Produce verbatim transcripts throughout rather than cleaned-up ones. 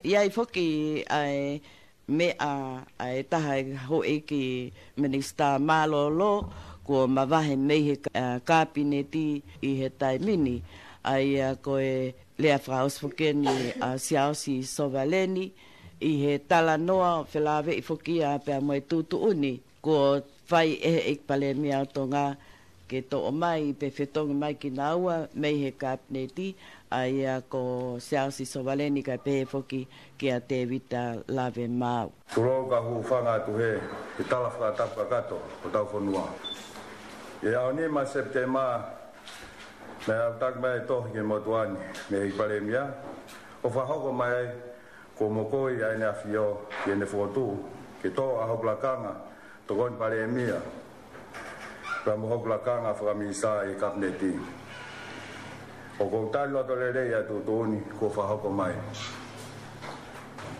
ʻI ai foki ʻa e meʻa ʻa e taha e houʻeiki minisitā mālōlō kuo mavahe mei he ka-, ʻa, kapineti ʻi he taimi ni, ʻa ia ko e lea fakaʻosi foki eni ʻa Siaosi Sovaleni ʻi he talanoa felāveʻi foki ia pea mo e tuʻutuʻuni kuo fai ʻe he ʻEiki Palēmia ʻo Tonga ke toʻo mai pe fetongi mai kinaua mei he kapineti, ʻa ia ko Siaosi Sovaleni kae pehē foki kia Tēvita Lavemaau. Tulou ka hūfanga atu he, he tala fakatapu kakato ʻo hotau fonua. ʻI he ʻaho nima Sepitema, naʻe aʻutaki mai e tohi ki he motuʻa ni mei he ʻEiki Palēmia, ʻo fakahoko mai ai kuo mokoi ʻa ʻEne ʻAfio ki heʻene fokotuʻu ke toʻo ʻa hoku lakanga Tokoni Palēmia pea mo hoku lakanga fakaminisitā ʻi he kapineti. ʻOku ou tali loto lelei ʻa e tuʻutuʻuni kuo fakahoko mai.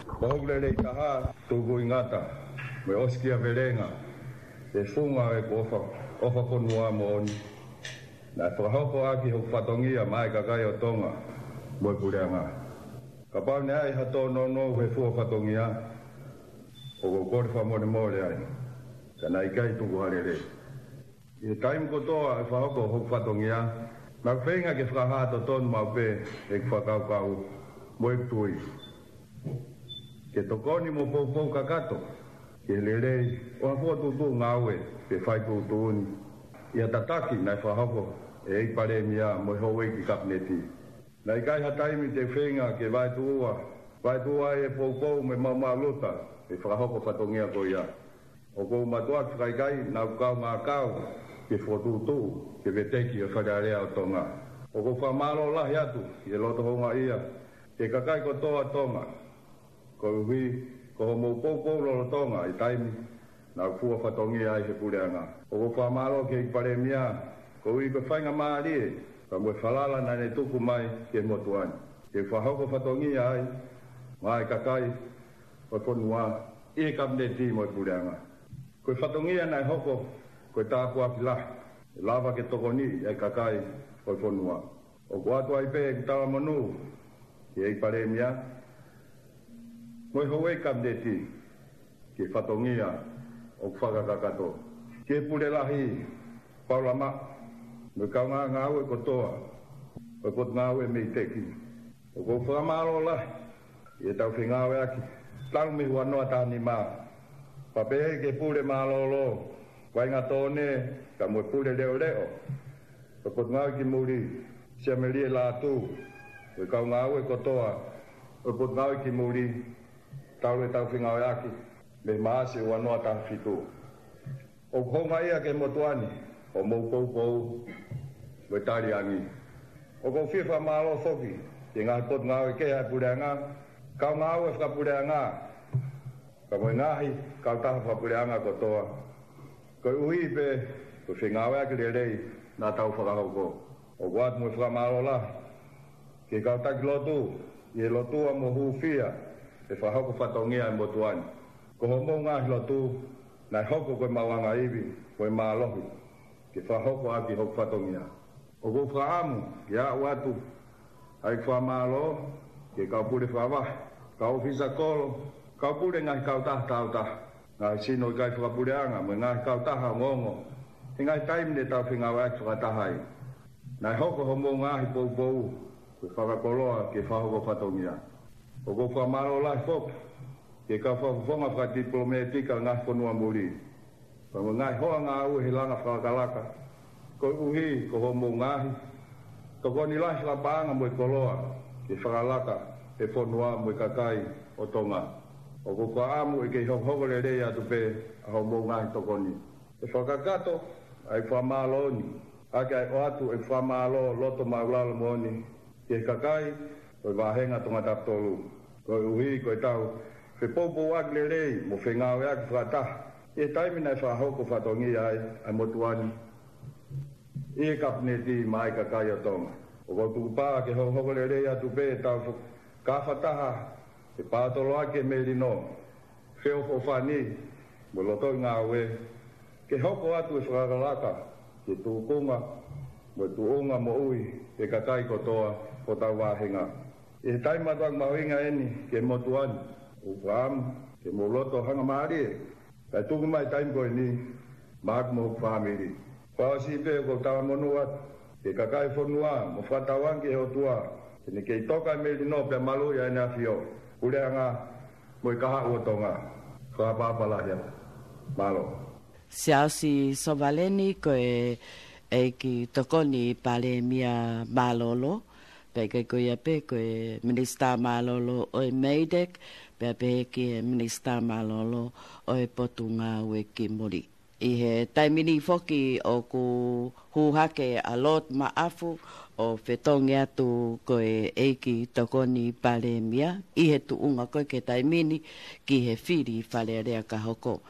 Ko hoku lelei taha, tukuingata mo e ʻosikiavelenga ʻi he funga ʻo ʻeku ʻofa, ʻofa fonua moʻoni naʻe fakahoko ʻaki hoku fatongia maʻa e kakai ʻo Tonga mo e Puleʻanga. Kapau naʻe ʻi ai ha tōnounou he fua fatongia, ʻoku ou kole fakamolemole ai, ka naʻe ʻikai tuku ha lelei. ʻI he taimi kotoa ʻi he fakahoko hoku fatongia, naʻá ku feinga ke fakahā totonu maʻu pē ʻeku fakakaukau mo ʻeku tui ke tokoni mo poupou kakato ki he lelei ʻo ha fokotuʻutuʻu ngāue pe fai tuʻutuʻuni ʻi ha tataki naʻe fakahoko ʻe he ʻEiki Palēmia mo e houʻeiki kapineti. Naʻe ʻikai ha taimi te u feinga ke vaetuʻua, vaetuʻua ai e poupou mo e maʻumaʻuluta ʻi he fakahoko fatongia ko ia. ʻOku ou mātuʻaki fakaʻikaiʻi naʻá ku kaungā kau ki he fokotuʻutuʻu ki he veteki ʻo e Fale Alea ʻo Tonga. ʻOku ou fakamālō lahi atu ʻi he loto houngaʻia ki he kakai kotoa ʻo Tonga, koeʻuhi ko hoʻomou poupou lolotonga ʻa e taimi naʻá ku fua fatongia ai he Puleʻanga. ʻOku ou fakamālō ki he ʻEiki Palēmia koeʻuhi ko e faingamālie pea mo e falala naʻá ne tuku mai ki he motuʻa ni ke fakahoko fatongia ai maʻa e kakai ʻo e fonua ʻi he kapineti mo e Puleʻanga. Ko e fatongia naʻe hoko ko e tāpuaki lahi ʻe lava ke tokoniʻi ʻa e kakai ʻo e fonua. ʻOku ʻoatu ai pē ʻeku talamonū ki he ʻEiki Palēmia mo e houʻeiki kapineti ki he fatongia ʻoku fakakakato. Ki he Pule Lahi, Paula Maʻu, mo e kaungā ngāue kotoa ʻo e Potungāue MEIDECC, ʻoku ou fakamālō lahi ʻi heʻetau fengāueʻaki talu mei he ua noa taha nima, pea pehē ki he Pule Mālōlō, Vainga Tone, kae mo e Pule Leʻoleʻo ʻo e Potungāue ki Muli, Siamelie Lātū, mo e kau ngāue kotoa ʻo e Potungāue ki Muli, talu ʻetau fengāueʻaki mei Maʻasi ua noa taha fitu. ʻOku houngaʻia ki he motuʻa ni hoʻomou poupou mo e taliangi. ʻOku ou fie fakamālō foki ki he ngaahi potungāue kehe ʻa e Puleʻanga, kau ngāue fakapuleʻanga, kae mo e ngaahi kautaha fakapuleʻanga kotoa, koeʻuhi pē ko e fengāueʻaki lelei naʻa tau fakahoko. ʻOku ʻoatu mo e fakamālō lahi ki he kau taki lotu ʻi he lotua mo hūfia he fakahoko fatongia ʻa e motuʻa ni. Ko hoʻomou ngaahi lotu naʻe hoko ko e maʻuʻanga ivi mo e mālohi ke fakahoko ʻaki hoku fatongia. ʻOku ou fakaʻamu ke aʻu atu ʻa e fakamālō ki he kau pule fakavahe, kau ʻōfisa kolo, kau pule ngaahi kautaha tāutaha, ngaahi sino ʻikai fakapuleʻanga mo e ngaahi kautaha ongoongo he ngaahi taimi ne tau fengāueʻaki fakataha ai. Naʻe hoko hoʻomou ngaahi poupou ko e fakakoloa ke fakahoko fatongia. ʻOku ou fakamālō lahi foki ki he kau fakafofonga fakatipilōmētika ʻo e ngaahi fonua muli, pea mo e ngaahi hoa ngāue he langa fakalakalaka, koeʻuhi ko hoʻomou ngaahi tokoni lahi fakapaʻanga mo e koloa ke fakalaka e fonua mo e kakai ʻo Tonga. ʻOku ou fakaʻamu ʻe kei hokohoko lelei atu pē ʻa hoʻomou ngaahi tokoni. ʻE fakakakato ʻa e fakamālō ni ʻaki ʻa e ʻoatu e fakamālō loto māʻulalo moʻoni ki he kakai ʻo e vāhenga Tongatapu tolu, koeʻuhi ko ʻetau fepoupouaki lelei mo fengāueʻaki fakataha ʻi he taimi naʻe fakahoko fatongia ai ʻa e motuʻa ni ʻi he kapineti maʻa e kakai ʻo Tonga. ʻOku ou tukupā ke hokohoko lelei atu pē ʻetau fo-, kafataha he pātoloaki e melino, feʻofoʻofani mo e lotoʻi ngāue, ke hoko atu e fakalakalaka ki he tūkunga mo e tuʻunga moʻui e kakai kotoa hotau vāhenga. ʻI he taimi mātuʻaki mahuʻinga ʻeni ki he motuʻa ni, ʻoku ou fakaʻamu ke mou loto hangamālie, kae tuku mai taimi ko ʻeni maʻaku mo hoku fāmili. Fakaʻosi pē ʻoku ou talamonū atu ki he kakai e fonua mo fakatauange ki he ʻOtua ke ne kei toka e melino pea maluʻi ʻa ʻEne ʻAfio, puleʻanga mo e kahaʻu ʻo Tonga. Fakaʻapaʻapa lahi atu. Mālō. Siaosi Sovaleni, ko e ʻEiki Tokoni Palēmia mālōlō, pea ʻikai ko ia pē, ko e Minisitā mālōlō ʻo e MEIDECC, pea pehē ki he Minisitā mālōlō ʻo e Potungāue ki Muli. ʻI he taimi ni foki ʻoku hū hake ʻa Lord Maʻafu ʻo fetongi atu ko e ʻEiki Tokoni Palēmia ʻi he tuʻunga ko ē ki he taimi ni ki he fili Fale Alea ka hoko.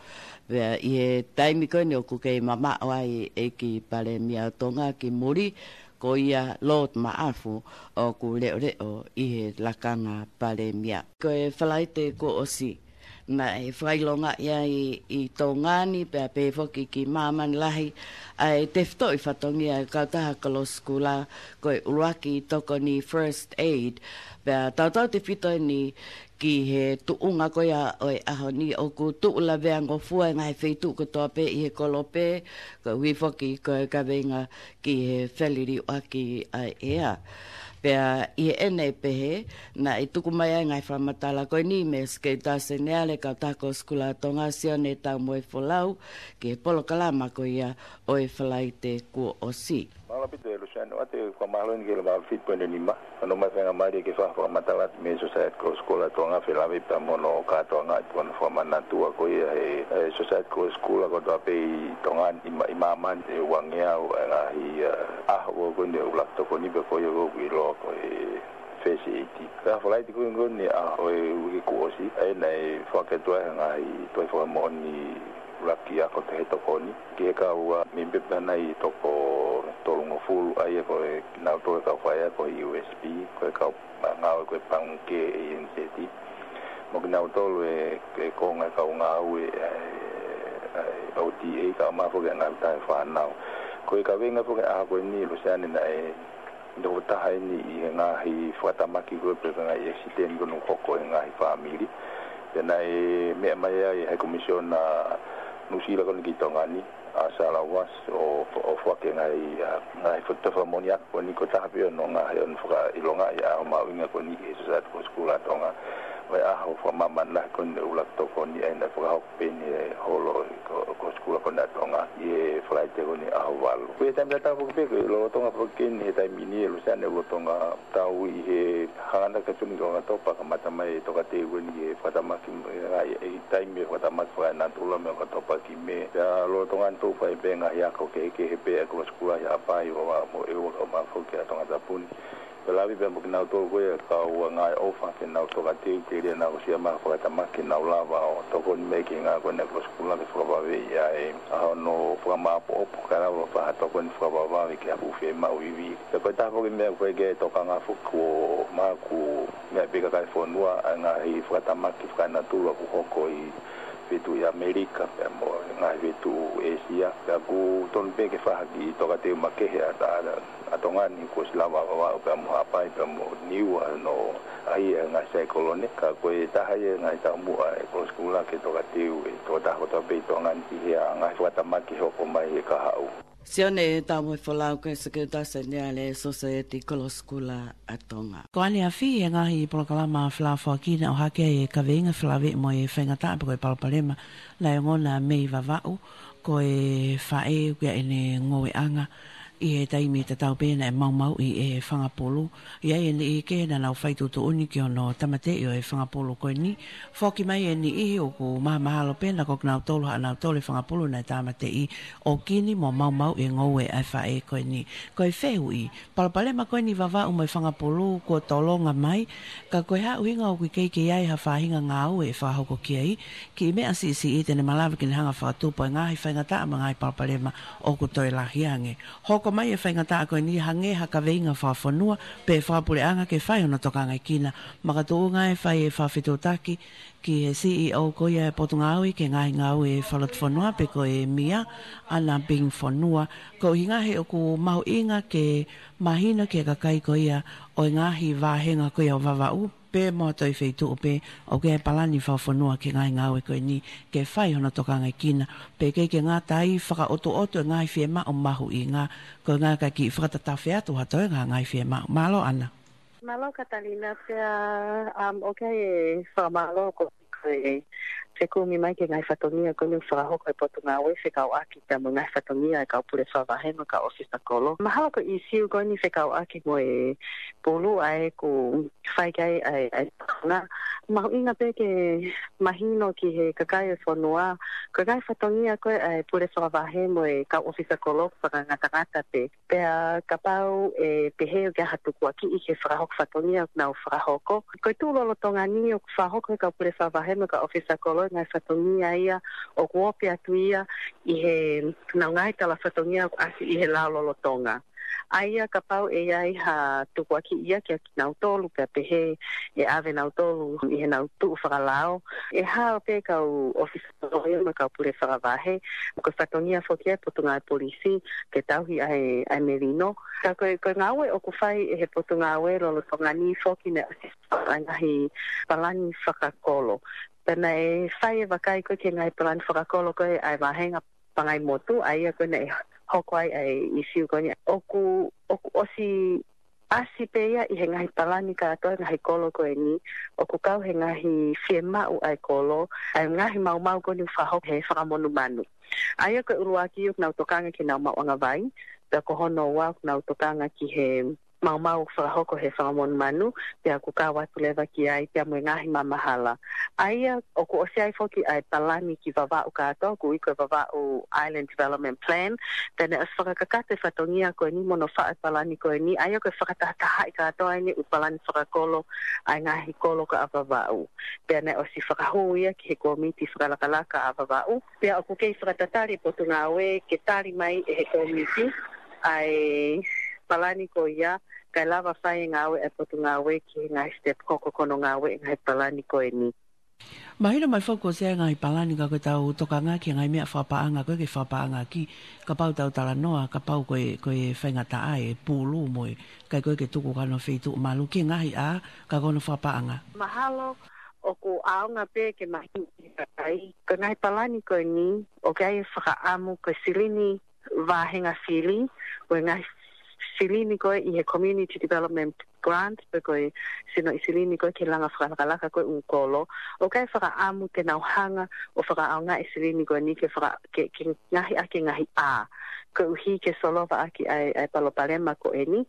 Pea ʻi he taimi ko eni ʻoku kei mamaʻo ai ʻEiki Palēmia ʻo Tonga ki muli, ko ia Lord Maʻafu ʻoku leʻoleʻo ʻi he lakanga Palēmia. Ko e Falaite kuo ʻosi, naʻe fakaʻilongaʻi ai ʻi Tonga ni pea pehē foki ki māmani lahi ʻa e tefitoʻi fatongia e kautaha Kolosi Kula, ko e ʻuluaki tokoni, first aid. Pea tautautefito eni ki he tuʻunga ko ia ʻo e ʻaho ni, ʻoku tuʻu laveangofua e ngaahi feituʻu kotoa pē ʻi he kolope, koeʻuhi foki ko e kaveinga ki he feliliuaki ʻa e ʻea. Pea ʻi heʻene pehē, naʻe tuku mai ai e ngaahi fakamatala ko eni mei he Sekelitali Seniale Kautaha Kolosi Kula Tonga, Sione Taumoefolau, ki he polokalama ko ia ʻo e Falaite kuo ʻosi. Mālō ʻaupito Luseane, ʻoatu e fakamālō eni ki he lava fitu poini nima. Hono mai faingamālie ke fai ha fakamatala atu mei he Society Kolosi Kula Tonga, felāveʻi pea mo hono kātoanga ʻi hono fakamanatua ko ia he, he Society Kolosi Kula kotoa pē ʻi Tonga ni, ʻi mā-, ʻi māmani, ʻe uangeau e ngaahi, ʻa, ʻaho ko eni ʻo e ʻuluaki tokoni pea ko ia ʻoku ʻiloa ko e first aid. Pea Falaite ko eni ʻa e uike kuo ʻosi, ʻa ia naʻe foaki atu ai e ngaahi tohi fakamoʻoni ʻuluaki ako tohi tokoni ki he kau, ʻa, mēmipa naʻe toko tolungofulu, ʻa ia ko e kinautolu e kau faiako ʻi he U S P, ko e kau ngāue ko e Pangikē, A N Z, mo kinautolu e, e konga e kau ngāue, ʻa e, ʻa e O T A, kae ʻumaʻā foki e ngaahi tauhi fānau. Ko e kaveinga foki e ʻaho ko eni Luseane naʻe nofo taha eni ʻi he ngaahi fakatamaki ko ē pe ko e ngaahi accident ko ē ʻoku hoko he ngaahi fāmili. Pea naʻe meʻa mai ai e High Commissioner Nuʻusila ko eni ki Tonga ni, ʻa Sara Wass, ʻo, ʻo foaki e ngaahi, ʻa, ngaahi foʻi tohi fakamoʻoni ako ko eni ko e taha pē ia hono ngaahi, hono fakaʻilongaʻi e ʻaho mahuʻinga ko eni ki he Society Kolosi Kula Tonga, ʻo e ʻaho fakamāmani lahi ko eni e ʻuluaki tokoni, ʻa ia naʻe fakahoko pē eni he holo ʻo e Ko-, Kolosi Kula ko eni ʻa Tonga ʻi he Falaite ko eni ʻaho valu. Ko e taimi tatau foki pē, ko e lolotonga foki eni he taimi ni Luseane, lolotonga tau ʻi he hanganaki atu eni ki ʻOkatopa, kamata mai e tokateu eni e fakatamaki, ʻa e, ʻa e taimi e fakatamaki fakaenatula mei ʻOkatopa ki Mē. Pea lolotonga eni ʻoku fai pē e ngaahi ako kehekehe pē ʻa e Kolosi Kula ʻi Haʻapai, ʻo, ʻa, mo ʻEua kae ʻumaʻā foki ʻa Tongatapu ni. Felāveʻi pea mo kinautolu ko ia kau ngāue ʻofa ke nau tokateu telia naʻa nau aʻusia mai ha fakatamaki ke nau lava ʻo tokoni mai ki he ngāue ko eni ʻa e Kolosi Kula ke fakavavevave ʻa e, ʻa hono fakamāʻopoʻopo kae lava ʻo fai ha tokoni fakavavevave ki ha fuʻu fiemaʻu ivi. Pea ko e taha foki e meʻa ko ē ke tokanga foki kuo maʻu, meʻa pē kakai e fonua, ʻa e ngaahi fakatamaki fakaenatula ʻoku hoko ʻi he feituʻu ʻi ʻAmelika pea mo e ngaahi feituʻu ʻĒsia. Pea ʻoku tonu pē ke fai ha kiʻi tokateu makehe ʻa, ʻa, ʻa Tonga ni kuo ʻosi lava ʻo vavaʻu pea mo Haʻapai pea mo Niua hono ʻahiʻahi e ngaahi saikolone. Ka ko e taha ia e ngaahi taumuʻa e Kolosi Kula ke tokateu e tokotaha kotoa pē ʻi Tonga ni ki he ngaahi fakatamaki hoko mai he kahaʻu. Sione Taumoefolau, ko e Sekelitali Seniale Society Kolosi Kula ʻa Tonga. Ko ʻaneafi e ngaahi polokalama felafoaki naʻe ʻohake ai e kaveinga felāveʻi mo e faingataʻa pe ko e palopalema naʻe ongona mei Vavaʻu, ko e faʻē ʻoku ʻi ai ʻene ngoueʻanga ʻi he taimi tatau pē naʻe maumauʻi e fanga pulu. ʻI ai e niʻihi kehe naʻa nau fai tuʻutuʻuni ki hono tāmateʻi ʻo e fanga pulu ko eni. Foki mai e niʻihi ʻoku mahamahalo pē naʻa ko kinautolu haʻanautolu e fanga pulu naʻe tāmateʻi ʻo kini mo maumauʻi e ngoue ʻa e faʻē ko eni. Ko e fehuʻi, palopalema ko eni Vavaʻu mo e fanga pulu kuo tolonga mai, ka ko e hā e ʻuhinga ʻoku ʻikai ke ʻi ai ha faʻahinga ngāue ʻe fakahoko ki ai, kiʻi meʻa siʻisiʻi te ne malava ke ne hanga ʻo fakatupu e ngaahi faingataʻa mo e ngaahi palopalema ʻoku toe lahi ange. Hoko Mai e faingataʻa ko eni hangē ha kaveinga fakafonua pe fakapuleʻanga ke fai hono tokangaʻekina. Makatuʻunga e fai e fakafetuʻutaki ki he C E O ko ia e Potungāue ki he Ngaahi Ngāue Fakalotofonua pe ko e MIA, ʻAna Bing Fonua. Ko e ʻuhinga he ʻoku mahuʻinga ke mahino ki he kakai ko ia ʻo e ngaahi vāhenga ko ia ʻo Vavaʻu pe mo ha toe feituʻu pe ʻoku ʻi ai e palani fakafonua ki he ngaahi ngāue ko eni ke fai hono tokangaʻekina. Pe kei ke ngata ai fakaʻotuʻotu e ngaahi fiemaʻu mahuʻinga, ko e ngaahi kakai ke fakatatau atu ha toe ngaahi fiemaʻu. Mālō ʻAna. Mālō Katalina pea, um, ʻoku ou fakamālō ko e fekumi mai ki he ngaahi fatongia ko eni ʻoku fakahoko ʻe he Potungāue fekauʻaki pea mo e ngaahi fatongia ʻa e kau pule fakavahe mo e kau ʻōfisa kolo. Mahalo ko e ʻīsiu ko eni fekauʻaki mo e pulu ʻa ē ʻoku fai ki ai ʻa e, ʻa e, na, mahuʻinga pē ke mahino ki he kakai ʻo e fonua, ko e ngaahi fatongia ko ē ʻa e pule fakavahe mo e kau ʻōfisa kolo ʻoku fakangatangata pē. Pea kapau ʻe pehē ʻoku ʻi ai ha tukuakiʻi ki he fakahoko fatongia ʻoku nau fakahoko. Ko e tuʻu lolotonga ni ʻoku fakahoko ʻe he kau pule fakavahe mo e kau ʻōfisa kolo e ngaahi fatongia ia ʻoku ope atu ia ʻi heʻenau ngaahi tala fatongia ʻoku ʻasi ʻi he lao lolotonga. ʻA ia kapau ʻe ʻi ai ha tukuakiʻi ia kia kinautolu pea pehē ʻe ʻave nautolu ʻi heʻenau tuʻu fakalao, ʻe hao pē kau ʻōfisa kolo ia mo e kau pule fakavahe, ko e fatongia foki ia ʻa e Potungāue Polisi ke tauhi ʻa e, ʻa e melino. Ka ko e, ko e ngāue ʻoku fai ʻe he Potungāue lolotonga ni foki naʻe ʻosi ʻa e ngaahi palani fakakolo. Pea naʻe fai e vakai ko ē ki he ngaahi palani fakakolo ko ē ʻa e vāhenga Pangaimotu, ʻa ia ko ē naʻe hoko ai ʻa e ʻīsiu ko eni. ʻOku, ʻoku ʻosi ʻasi pē ia ʻi he ngaahi palani kātoa ʻa e ngaahi kolo ko eni, ʻoku kau he ngaahi fiemaʻu ʻa e kolo, ʻa e ngaahi maumau ko eni ʻoku fakahoko he fakamonumanu. ʻA ia ko e ʻuluaki ʻoku nau tokanga ki heʻenau maʻuʻanga vai, pea ko hono ua ʻoku nau tokanga ki he maumau ʻoku fakahoko he fakamonumanu, pea ʻoku kau atu leva ki ai pea mo e ngaahi mamahala. ʻA ia ʻoku ʻosi ʻi ai foki ʻa e palani ki Vavaʻu kātoa, ʻoku ui ko e Vavaʻu Island Development Plan, pea naʻe ʻosi fakakakato e fatongia ko eni mo hono faʻu e palani ko eni, ʻa ia ko e fakatahatahaʻi kātoa eni ʻū palani fakakolo ʻa e ngaahi kolo ko ē ʻa Vavaʻu. Pea naʻe ʻosi fakahū ia ki he kōmiti fakalakalaka ʻa Vavaʻu. Pea ʻoku kei fakatatali e Potungāue ke tali mai ʻe he kōmiti ʻa e palani ko ia, kae lava fai e ngāue ʻa e Potungāue ki he ngaahi step hoko ko hono ngāue e ngaahi palani ko eni. Mahino mai foki ʻoku ʻosi ʻi ai e ngaahi palani ka ko ʻetau tokanga ki he ngaahi meʻa fakapaʻanga ko ē ke fakapaʻangaʻaki, kapau te tau talanoa, kapau ko e, ko e faingataʻa e pulu mo e, kae ko ē ke tuku ki hono feituʻu malu ki he ngaahi ʻā, ka ko hono fakapaʻanga. Mahalo ʻoku ʻaonga pē ke mahino ki he kakai. Ko e ngaahi palani ko eni, ʻoku ʻi ai e fakaʻamu ko e silini vāhenga fili, ko e ngaahi silini ko ē ʻi he Community Development Grant, pe ko e sinoʻi silini ko ē ki he langa fakalakalaka ko ē ʻū kolo. ʻOku ʻi ai e fakaʻamu ke nau hanga ʻo fakaʻaongaʻi e silini ko eni ke faka-, ke, ke ngaohi ʻaki e ngaahi ʻā. Koeʻuhi ke solova ʻaki ʻa e, ʻa e palopalema ko eni.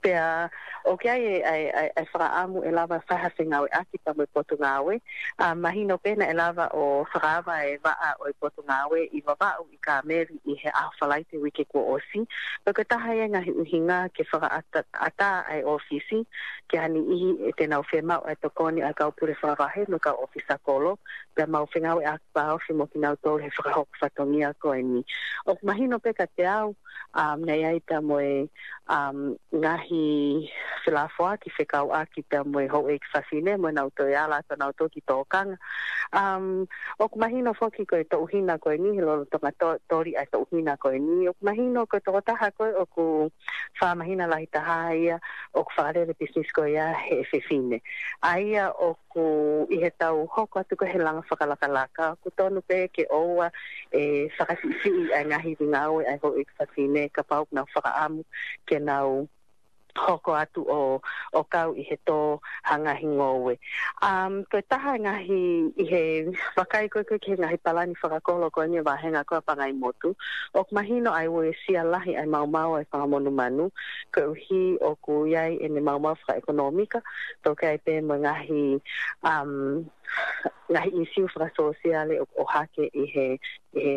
Pea ʻoku ʻi ai e, ʻa e, ʻa e, ʻa e fakaʻamu ʻe lava fai ha fengāueʻaki pea mo e Potungāue. ʻA, mahino pē naʻe lava ʻo fakaava e vaʻa ʻo e Potungāue ʻi Vavaʻu ʻi Kāmeli ʻi he ʻaho Falaite uike kuo ʻosi. Pea ko e taha ia e ngaahi ʻuhinga ke fakaʻatā, ʻatā ʻa e ʻōfisi ki ha niʻihi ʻe te nau fiemaʻu ʻa e tokoni ʻa e kau pule fakavahe mo e kau ʻōfisa kolo. Pea mau fengāueʻaki fakaofi mo kinautolu he fakahoko fatongia ko eni. ʻOku mahino pē kiate au, um, naʻe ʻi ai pea mo e, um, ngaahi felāfoaki fekauʻaki pea mo e houʻeiki fafine mo ʻenau toe ala atu ʻanautolu ki tōkanga. Um, ʻoku mahino foki ko e toʻuhina ko eni, he lolotonga to-, toli ʻa e toʻuhina ko eni. ʻOku mahino ko e tokotaha ko ē ʻoku fakamahino lahi taha ia ʻoku fakalele e pisinisi ko ia he fefine. ʻA ia ʻoku ʻi heʻetau hoko atu ko ē he langa fakalakalaka, ʻoku tonu pē ke ʻoua ʻe fakasiʻisiʻi ʻa e ngaahi ngāue ʻa e houʻeiki fafine kapau ʻoku nau fakaʻamu ke nau hoko atu ʻo, ʻo kau ʻi he tō ha ngaahi ngoue. Um, ko e taha e ngaahi ʻi he vakai ko ē ki he ngaahi palani fakakolo ko eni ʻa e vāhenga ko ē ʻa Pangaimotu, ʻoku mahino ʻa e uesia lahi ʻa e maumau ʻa e fakamonumanu, koeʻuhi ʻoku ʻi ai ʻene maumau fakaʻekonōmika, toki ʻi ai pē mo e ngaahi, um, ngaahi ʻīsiu fakasōsiale ʻo, ʻohake ʻi he, ʻi he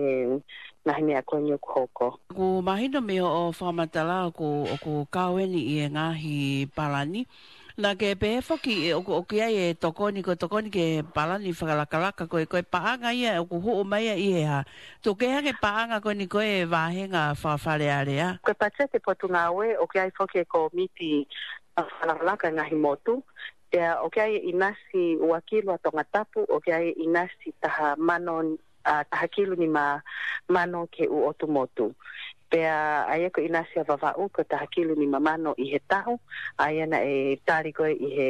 ngaahi meʻa ko eni ʻoku hoko. ʻOku mahino mei hoʻo fakamatala ʻoku, ʻoku kau eni ʻi he ngaahi palani, Naʻa ke pehē foki ʻe ʻoku, ʻoku ʻi ai e tokoni, ko e tokoni ki he palani fakalakalaka, ko e, ko e paʻanga ia ʻoku hū mai ia ʻi he hā. Tuku kehe ange paʻanga ko eni ko e vāhenga fakafalealea. Ko e patiseti Potungāue, ʻoku ʻi ai foki e kōmiti fakalakalaka ngaahi motu. Pea ʻoku ʻi ai e ʻinasi ua kilu ʻa Tongatapu, ʻoku ʻi ai e ʻinasi taha mano, ʻa, taha kilu nima mano ki he ʻū ʻotu motu. Pea ʻa ia ko e ʻinasi ʻa Vavaʻu ko e taha kilu nima mano ʻi he taʻu, ʻa ia naʻe tali ko ē ʻi he,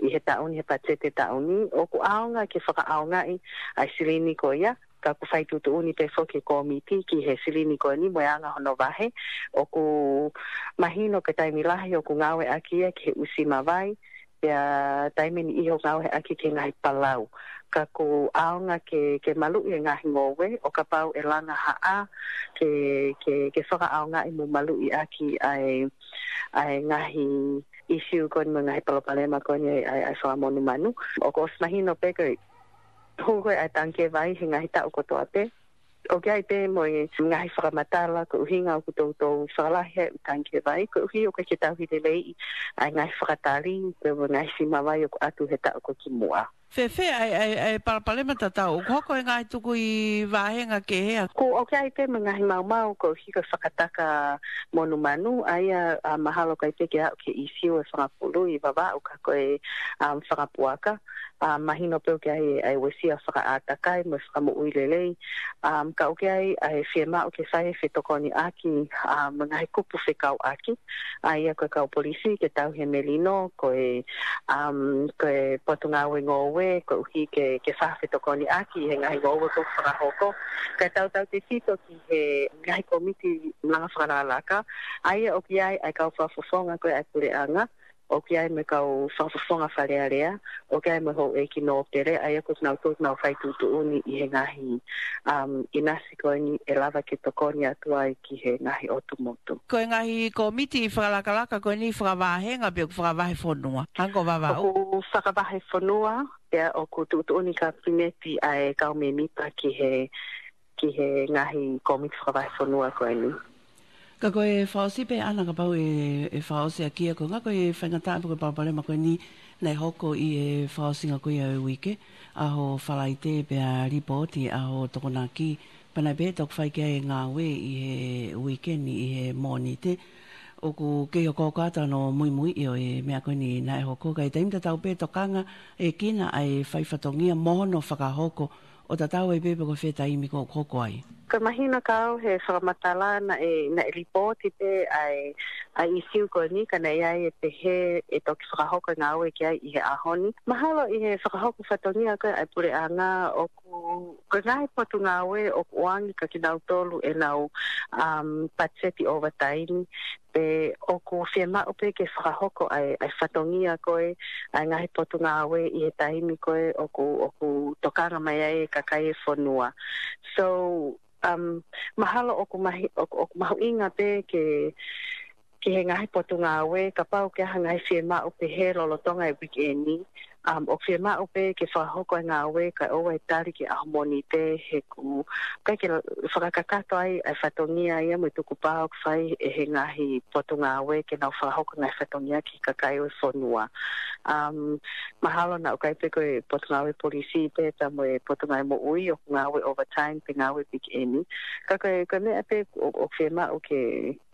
ʻi he taʻu ni, he patiseti taʻu ni, ʻoku ʻaonga ke fakaʻaongaʻi ʻa e silini ko ia, ka ʻoku fai tuʻutuʻuni pē foki e kōmiti ki he silini ko eni mo e anga hono vahe, ʻoku mahino ko e taimi lahi ʻoku ngāueʻaki ia ki he usi mavai, pea taimi ʻe niʻihi ʻoku ngāueʻaki ki he ngaahi palau. Ka ʻoku ʻaonga ke, ke maluʻi e ngaahi ngoue, ʻo kapau ʻe langa ha ʻā, ke, ke, ke fakaʻaongaʻi mo maluʻi ʻaki ʻa e, ʻa e ngaahi ʻīsiu ko eni mo e ngaahi palopalema ko eni ʻa e, ʻa e, ʻa e fakamonumanu. ʻOku ʻosi mahino pē ko e hū ko ē ʻa e tangikē vai he ngaahi taʻu kotoa pē. ʻOku ʻi ai pē mo e ngaahi fakamatala ko e ʻuhinga ʻoku toutou fakalahi ai e ʻū tangikē vai, koeʻuhi ʻoku ʻikai ke tauhi lelei ʻa e ngaahi fakatali, pea mo e ngaahi usi mavai ʻoku ʻatu he taʻu ko ē kimuʻa. Fēfē ʻa e, ʻa e, ʻa e palopalema tatau, ʻoku hoko e ngaahi tukui vāhenga kehe ʻa? ʻOku, ʻoku ʻi ai pē mo e ngaahi maumau koeʻuhi ko e fakataka monumanu, ʻa ia, ʻa, mahalo ʻikai pē ke aʻu ki he ʻīsiu e fanga pulu ʻi Vavaʻu ka ko e, um, fanga puaka. ʻA, mahino pē ʻoku ʻi ai e, ʻa e uesia fakaʻātakai mo e fakamoʻui lelei. Um, ka ʻoku ʻi ai ʻa e fiemaʻu ke fai e fetokoniʻaki, um, mo e ngaahi kupu fekauʻaki. ʻA ia ko e kau polisi ke tauhi e melino, ko e, um, ko e Potungāue Ngoue, koeʻuhi ke, ke fai ha fetokoniʻaki he ngaahi ngoue ʻoku fakahoko. Kae tautautefito ki he ngaahi kōmiti langa fakalakalaka, ʻa ia ʻoku ʻi ai ʻa e kau fakafofonga ko ē ʻa e puleʻanga, ʻoku ʻi ai mo e kau fakafofonga Fale Alea, ʻoku ʻi ai mo e houʻeiki nōpele, ʻa ia ko kinautolu ʻoku nau fai tuʻutuʻuni ʻi he ngaahi, um, ʻinasi ko eni ʻe lava ke tokoni atu ai ki he ngaahi ʻotu motu. Ko e ngaahi kōmiti fakalakalaka ko eni fakavāhenga pe ʻoku fakavahefonua? Hangē ko Vavaʻu? ʻOku fakavahefonua, pea ʻoku tuʻutuʻuni kapineti ʻa e kau mēmipa ki he, ki he ngaahi kōmiti fakavahefonua ko eni. Ka ko e fakaʻosi pē ʻAna kapau ʻe, ʻe fakaʻosi ʻaki ia, ko e ʻuhinga ko e faingataʻa pe ko e palopalema ko eni naʻe hoko ʻi he fakaʻosinga ko ia ʻo e uike, ʻaho Falaite pea lipooti ʻaho Tokonaki, pea naʻe pehē toki fai ki ai e ngāue ʻi he uike ni ʻi he Mōnite. ʻOku kei hokohoko atu hono muimuiʻi ʻo e meʻa ko eni naʻe hoko, ka ʻi he taimi tatau pē tokanga ʻe Kina ʻa e fai fatongia mo hono fakahoko ʻo tatau ai pē pe ko fē taimi ʻoku hoko ai. Ka mahino kiate au he fakamatala naʻe, naʻe lipooti pē ʻa e, ʻa e ʻīsiu ko eni ka naʻe ʻi ai e pehē ʻe toki fakahoko e ngāue ki ai ʻi he ʻaho ni. Mahalo ʻi he fakahoko fatongia ko ē ʻa e puleʻanga ʻoku, ko e ngaahi potungāue ʻoku ʻoange kia kinautolu ʻenau, um, patiseti overtime, pe ʻoku fiemaʻu pē ke fakahoko ʻa e, ʻa e fatongia ko ē ʻa e ngaahi potungāue ʻi he taimi ko ē ʻoku, ʻoku tokanga mai ai e kakai e fonua. So, um, mahalo ʻoku mahi-, ʻoku, ʻoku mahuʻinga pē ke, ki he ngaahi potungāue, kapau ʻoku ʻi ai ha ngaahi fiemaʻu pehē lolotonga e weekend ni, um, ʻoku fiemaʻu pē ke fakahoko e ngāue kae ʻoua ʻe tali ki he ʻaho Mōnite he ʻoku ʻikai ke fakakakato ai ʻa e fatongia ia mo e tukupā ʻoku fai ʻe he ngaahi potungāue ke nau fakahoko e ngaahi fatongia ki he kakai ʻo e fonua. Um, mahalo naʻe ʻikai pē ko e potungāue polisi pē pea mo e potungāue moʻui ʻoku ngāue overtime pe ngāue weekend ni. Ka ko e, ko e meʻa pē ʻoku, ʻoku fiemaʻu ke,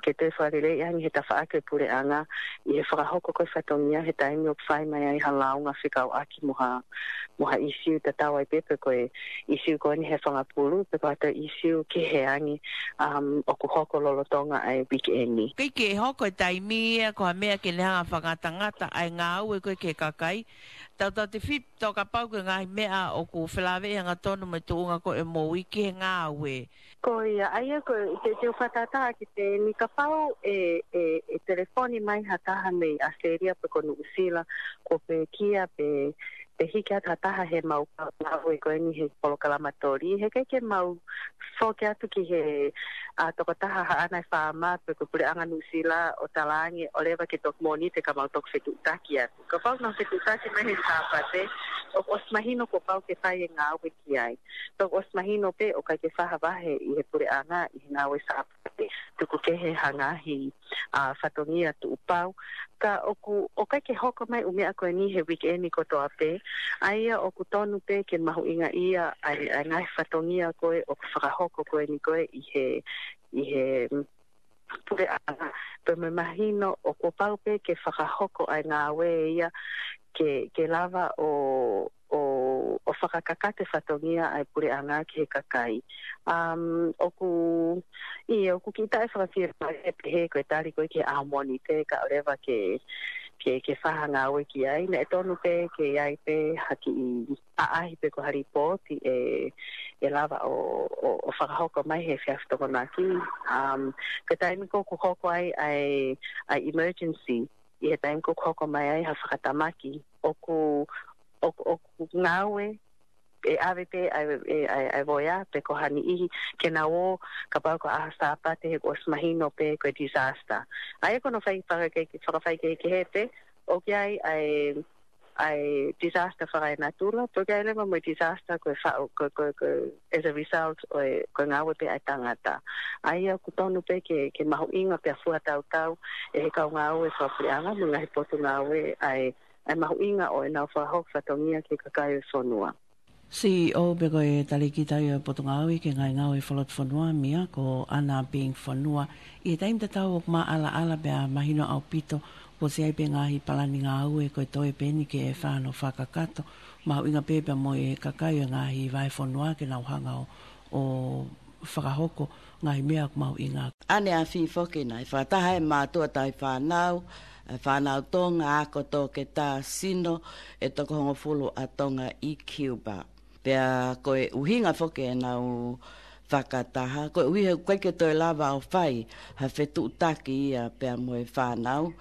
ke toe fakaleleiʻi ange he tafaʻaki ʻo e puleʻanga ʻi he fakahoko ko ē fatongia he taimi ʻoku fai mai ai ha lāunga fekauʻaki mo ha, mo ha ʻīsiu tatau ai pē pe ko e ʻīsiu ko eni he fanga pulu pe ko ha toe ʻīsiu kehe ange, um, ʻoku hoko lolotonga ʻa e weekend ni. ʻIkai ke hoko e taimi ia ko ha meʻa ke ne hanga ʻo fakangatangata ʻa e ngāue ko ē ki he kakai. Tautautefito kapau ko e ngaahi meʻa ʻoku felāveʻi hangatonu mo e tuʻunga ko ē ʻo e moʻui ki he ngāue. Ko ia, ʻa ia ko e, te, te u fakatātā ʻaki pē eni kapau ʻe, ʻe, ʻe telefoni mai ha taha mei ʻAositelēlia pe ko Nuʻusila, kuo pekia pe, pe hiki atu ha taha heʻemau ngāue ko eni he polokalama toli, heʻikai ke mau foki atu ki he, ʻa, tokotaha Haʻana ʻe Fāma pe ko e puleʻanga Nuʻusila ʻo talaange ʻoku lava ke toki Mōnite ka mau toki fetuʻutaki atu. Kapau naʻa nau fetuʻutaki mai he Sāpate, ʻoku ʻosi mahino kuo pau ke fai e ngāue ki ai. Pea ʻoku ʻosi mahino pē ʻoku ʻikai ke fai ha vahe ʻi he puleʻanga ʻi he ngāue Sāpate. Tuku kehe ha ngaahi ʻa fatongia tuʻupau. Ka ʻoku, ʻoku ʻikai ke hoko mai ʻū meʻa ko eni he weekend kotoa pē. ʻA ia ʻoku tonu pē ke mahuʻingaʻia ʻa e, ʻa e ngaahi fatongia ko ē ʻoku fakahoko ko eni ko ē ʻi he, ʻi he, mm, puleʻanga. Pea mo e mahino ʻoku pau pē ke fakahoko ʻa e ngāue ia ke, ke lava ʻo, ʻo, ʻo fakakakato e fatongia ʻa e puleʻanga ki he kakai. Um, ʻoku, ʻio, ʻoku kiʻi taʻefakafiemālie pehē ko e tali ko ē ki he ʻaho Mōnite kae ʻoua leva ke, ke, ke fai ha ngāue ki ai. Naʻe tonu pē ke ʻi ai pē ha kiʻi ʻaʻahi pe ko ha lipooti ʻe, ʻe lava ʻo, ʻo, ʻo fakahoko mai he efiafi Tokonaki. Um, ko e taimi ko ē ʻoku hoko ai ʻa e, ʻa e emergency, ʻi he taimi ko ē ʻoku hoko mai ai ha fakatamaki, ʻoku, ʻoku, ʻoku ngāue, ʻe ʻave pē ʻa e, ʻa e, ʻa e, ʻa e voea pe ko ha niʻihi ke nau ō, kapau ko e ʻaho Sāpate he kuo ʻosi mahino pē ko e disaster. ʻA ia ko hono fai fakakehe-, fakafaikehekehe pē, ʻoku ʻi ai ʻa e, ʻa e disaster fakaenatula, pea ʻoku ʻi ai leva mo e disaster ko e faʻu, ko, ko, ko, as a result ʻo e, ko e ngāue pē ʻa e tangata. ʻA ia ʻoku tonu pē ke, ke mahuʻinga pea fuatautau ʻe he kau ngāue fakapuleʻanga mo e ngaahi potungāue ʻa e, ʻa e mahuʻinga ʻo ʻenau fakahoko fatongia ki he kakai ʻo e fonua. C E O pe ko e talēkita ia ʻo e Potungāue ki he Ngaahi Ngāue Fakalotofonua, Mia, ko ʻAna Ping Fonua. ʻI he taimi tatau ʻoku māʻalaʻala pea mahino ʻaupito kuo ʻosi ʻi ai pē ngaahi palani ngāue ko e toe pē eni ke fai hono fakakakato. Mahuʻinga pē pea mo e kakai ʻo e ngaahi vahefonua ke nau hanga ʻo, ʻo fakahoko ngaahi meʻa ʻoku mahuʻinga. ʻAneafi foki naʻe fakataha e mātuʻa tauhi fānau, e fānau Tonga, ako toketā, sino, ʻe toko hongofulu ʻa Tonga ʻi Cuba. Pea ko e ʻuhinga foki ʻenau fakataha, ko e ʻuhi he ʻoku ʻikai ke toe lava ʻo fai ha fetuʻutaki ia pea mo e fānau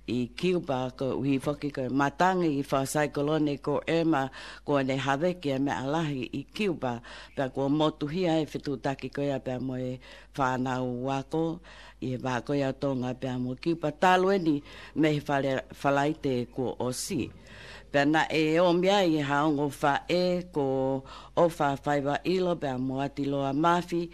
ʻi Cuba, ko e ʻuhi foki ko e matangi fakasaikolone ko Irma, kuo ne haveki e meʻa lahi ʻi Cuba, pea kuo motuhia e fetuʻutaki ko ia pea mo e fānau ako ʻi he vahaʻa ko ia ʻo Tonga pea mo Cuba talu eni mei he Fale-, Falaite kuo ʻosi. Pea naʻe ōmai ai ha ongo faʻē ko ʻOfa Faivaʻilo pea mo ʻAtiloa Mafi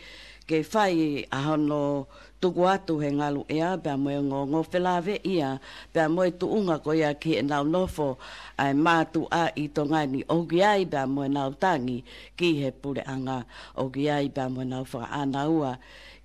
ke fai ʻa hono tuku atu he ngaluʻea pea mo e ongoongo felāveʻi ia pea mo e tuʻunga ko ia ki heʻenau nofo ʻa e mātuʻa ʻi Tonga ni, ʻoku ʻi ai pea mo ʻenau tangi ki he puleʻanga, ʻoku ʻi ai pea mo ʻenau fakaʻānaua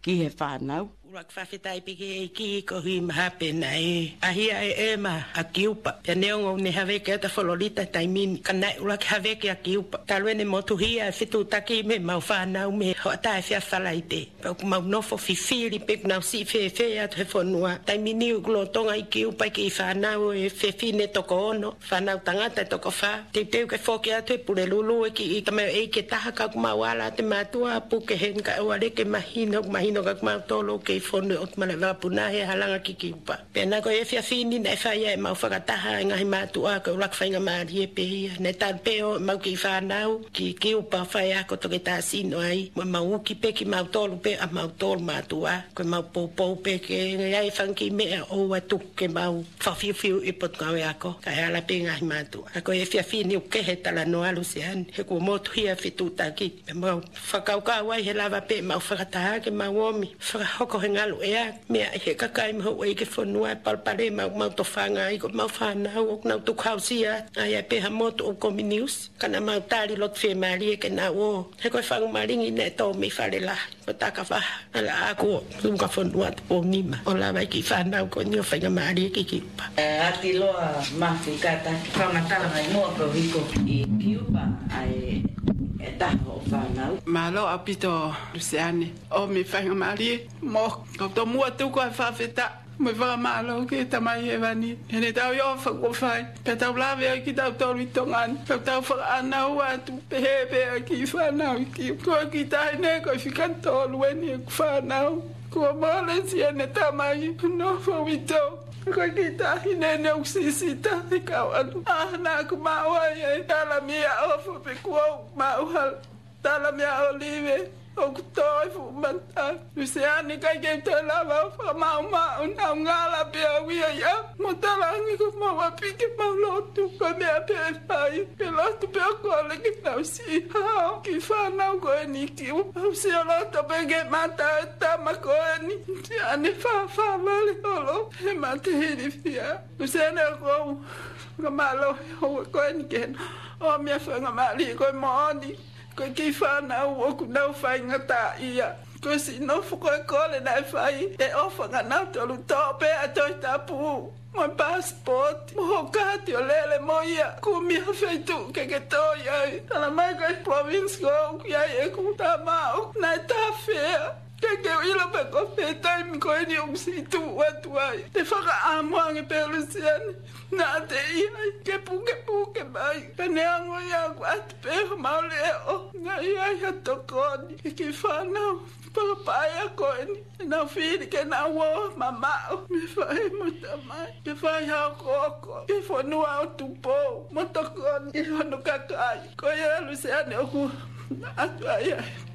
ki he fānau. ʻUluaki fakafetaʻi pē ki he ʻEiki koeʻuhi mahalo pē naʻe ʻaʻahi ʻa Irma ʻa Cuba. Pea neongo ne haveki atu ʻa Florida taimi ni, ka naʻe ʻuluaki haveki ʻa Cuba. Talu ʻene motuhia e fetuʻutaki mei heʻemau fānau mei he hoʻatā efiafi Falaite. Pea ʻoku mau nofo fifili pe ʻoku nau siʻi fēfē atu he fonua. Taimi ni ʻoku lolotonga ʻi Cuba e kiʻi fānau ʻo e fefine toko ono, fānau tangata ʻe toko fā. Teuteu ke foki atu ʻe Pulelulu e kiʻi tamaioʻeiki ʻe taha ka ʻoku mau ala atu e mātuʻa puke heni kae ʻoua leva ke mahino, mahino ka ʻoku mau tolo kei fonu ʻo ʻotu male vapuna he halanga ki Cuba. Pea naʻe ko e efiafi ni naʻe fai ai ʻemau fakataha e ngaahi mātuʻa, ko e ʻuluaki faingamālie pē ia. Naʻe talu pē ʻo ʻemau kiʻi fānau ki Cuba fai ako toketā sino ai, mo ʻemau uki pē kimautolu pē ʻa mautolu mātuʻa, ko ʻemau poupou pē ke ʻi ai e fanga kiʻi meʻa ʻoua tuku ke mau fakafiufiu ʻi Potungāue Ako, kae ala pē ngaahi mātuʻa. Ka ko e efiafi ni ʻoku kehe talanoa Luseane, he kuo motuhia e fetuʻutaki. Pea mau fakakaukau ai he lava pē ʻemau fakataha ke mau ōmi fakahoko he ngaluʻea meʻa ʻi he kakai mo e houʻeiki e fonua e palopalema ʻoku mau tofanga ai, ko ʻemau fānau ʻoku nau tukuhausia. ʻA ia pē ha motu ʻoku komi niusi, ka naʻa mau tali loto fiemālie ke nau ō. He ko e fanga malingi naʻe tō mei Falelahi, ko Takavaha, ʻAlaʻaku, Tuʻunga Fonua, Tupou Nima, ʻo lava e kiʻi fānau ko eni ʻo faingamālie ki Cuba. ʻE, ʻAtiloa Mafi, kātaki fakamatala mai muʻa koeʻuhi ko e ʻi Cuba ʻa e, e taha hoʻo fānau. Mālō ʻaupito Luseane. ʻOmi e faingamālie mo kau tomuʻa tuku ʻa e fakafetaʻi mo e fakamālō ki he Tamai Hēvani heʻene tauhi ʻofa kuo fai, pea tau lave ai kitautolu ʻi Tonga ni, pea tau fakaʻānaua atu pehē pē ʻa e kiʻi fānau ʻi Cuba. Ko e kiʻi taʻahine ko e fika tolu eni ʻeku fānau. Kuo mole siʻene tamai, nofo ʻi Tonga. Ko e kiʻi taʻahine eni ʻoku sisita he kau ʻalu. ʻA, naʻa ku maʻu ai e tala meʻa ʻofa pe kuo u maʻu ha tala meʻa ʻōlive. ʻoku tō e fuʻu mata. Luseane, ʻikai ke u toe lava ʻo fakamaʻumaʻu, naʻa ku ngala pē au ia ia. Mo talangi ko mau ʻapi ke mau lotu, ko e meʻa pē ʻe fai, ke lotu pē ʻo kole ke nau siʻi hao ki he fānau ko eni ki ua. ʻOsi ʻo loto pē ke mata e tama ko eni, siʻane fāfā vale holo he mate hilifia. Luseane, ʻoku ou fakamālō he houa ko eni ke ʻomi e faingamālie ko e moʻoni. Ko e kiʻi fānau ʻoku nau faingataʻaʻia. Ko e siʻi nofo ko e kole naʻe fai, ʻe ʻofa kia nautolu, toʻo pē ʻa e Tohi Tapu mo e passport mo hoʻo kaati ʻo lele mo ia, kumi ha feituʻu ke ke tō ai. Talamai ko e province ko ē ʻoku ʻi ai ʻeku tama ʻoku nau tafea. ʻIkai ke u ʻilo pe ko fē taimi ko eni ʻoku siʻi tuʻu atu ai. Te u fakaʻamu ange pē, Luseane, naʻa te ʻi ai ke pukepuke mai. Ka neongo ia, ʻoku ʻatu pē homau leʻo. Naʻe ʻi ai ha tokoni ki he kiʻi fānau fakapaʻanga ko eni. Naʻa nau fili ke nau ō mamaʻo mei he faʻē mo e tamai, ke fai ha okooko ki he fonua ʻo Tupou mo tokoni ki hono kakai. Ko ia, Luseane, ʻoku ʻatu ai ʻa e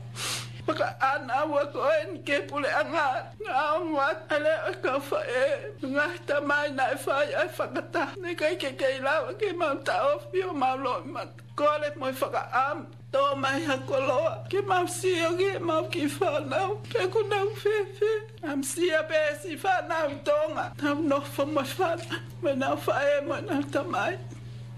fakaʻānaua ko eni ki he puleʻanga. Naʻa ongo atu ʻa e leʻo ʻo e kau faʻē, ngaahi tamai naʻe fai ʻa e fakataha. Naʻe ʻikai ke kei lava ke mau taʻofi homau loʻimata. Kole mo e fakaʻamu, tō mai ha koloa ke mau sio ki heʻemau kiʻi fānau pe ʻoku nau fēfē. Naʻa mau sio pē siʻi fānau ʻi Tonga, nau nofo mo e fānau, mo ʻenau faʻē mo ʻenau tamai.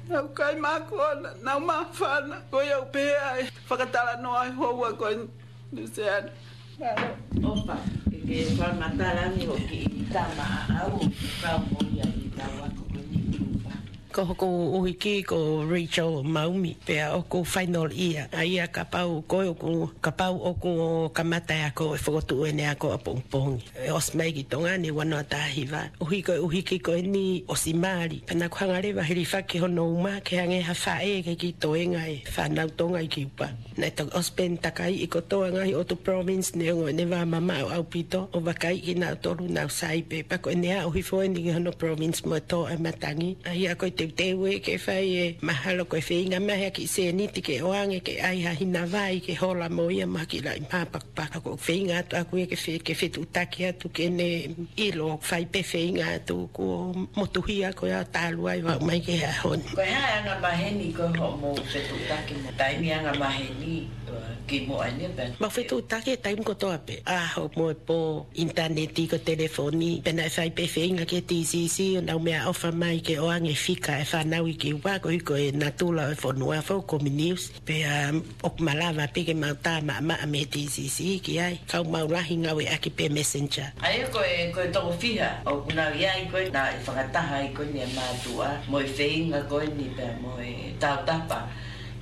Nau kai mākona, nau māfana. Ko ia ʻoku pehē ai e fakatalanoa he houa ko eni, Luseane. Mālō. ʻOfa ke ke fakamatala ange hoʻo kiʻi tama ʻaʻau ʻoku kau mo ia ʻi he kau ako ko eni ʻi Kiupa. Ko hoku ʻuhiki ko Rachel Maumi, pea ʻoku final year. ʻA ia kapau ko ē ʻoku, kapau ʻoku kamata e ako, ʻe fokotuʻu ʻene ako ʻapongipongi. ʻE ʻosi mai ki Tonga ʻene ua noa taha hiva. ʻUhi ko e ʻuhiki ko eni ʻosi mali. Pea naʻa ku hanga leva ʻo hilifaki hono uma ke hangē ha faʻē ke kiʻi toenga e fānau Tonga ʻi Kiupa. Naʻe toki ʻosi pē ʻene takaiʻi kotoa e ngaahi ʻotu province neongo ʻene vā mamaʻo ʻaupito, ʻo vakaiʻi kinautolu, nau sai pē. Pea ko ʻene aʻu hifo eni ki hono province mo e tō ʻa e matangi. ʻA ia ko e teuteu ē ke fai e mahalo ko e feinga mai ha kiʻi sēniti ke ʻoange ke ʻai ha hina vai ke hola mo ia mo ha kiʻi laʻi mā pakupaka. Ko e feinga atu ʻaʻaku ia ke fe-, ke fetuʻutaki atu ke ne ʻilo, fai pē feinga atu kuo motuhia ko ia ʻo talu ai ʻo aʻu mai ki he ʻaho ni. Ko e hā e anga maheni ko ē hoʻomou fetuʻutaki mo e taimi anga maheni, ʻo, kimuʻa eni pē? Mau fetuʻutaki he taimi kotoa pē, ʻaho mo e pō, ʻinitaneti, ko e telefoni, pea naʻe fai pē feinga ki he T C C ʻo nau meʻaʻofa mai ke ʻoange e fika e fānau ʻi Kiupa, koeʻuhi ko e natula ʻo e fonua, fou communist. Pea, um, ʻoku malava pē ke mau tā maʻamaʻa mei he T C C ki ai, ka ʻoku mau lahi ngāueʻaki pē Messenger. ʻA ia ko e, ko e toko fiha ʻoku nau ʻi ai ko ē naʻe fakataha ai ko eni e mātuʻa mo e feinga ko eni pea mo e tautapa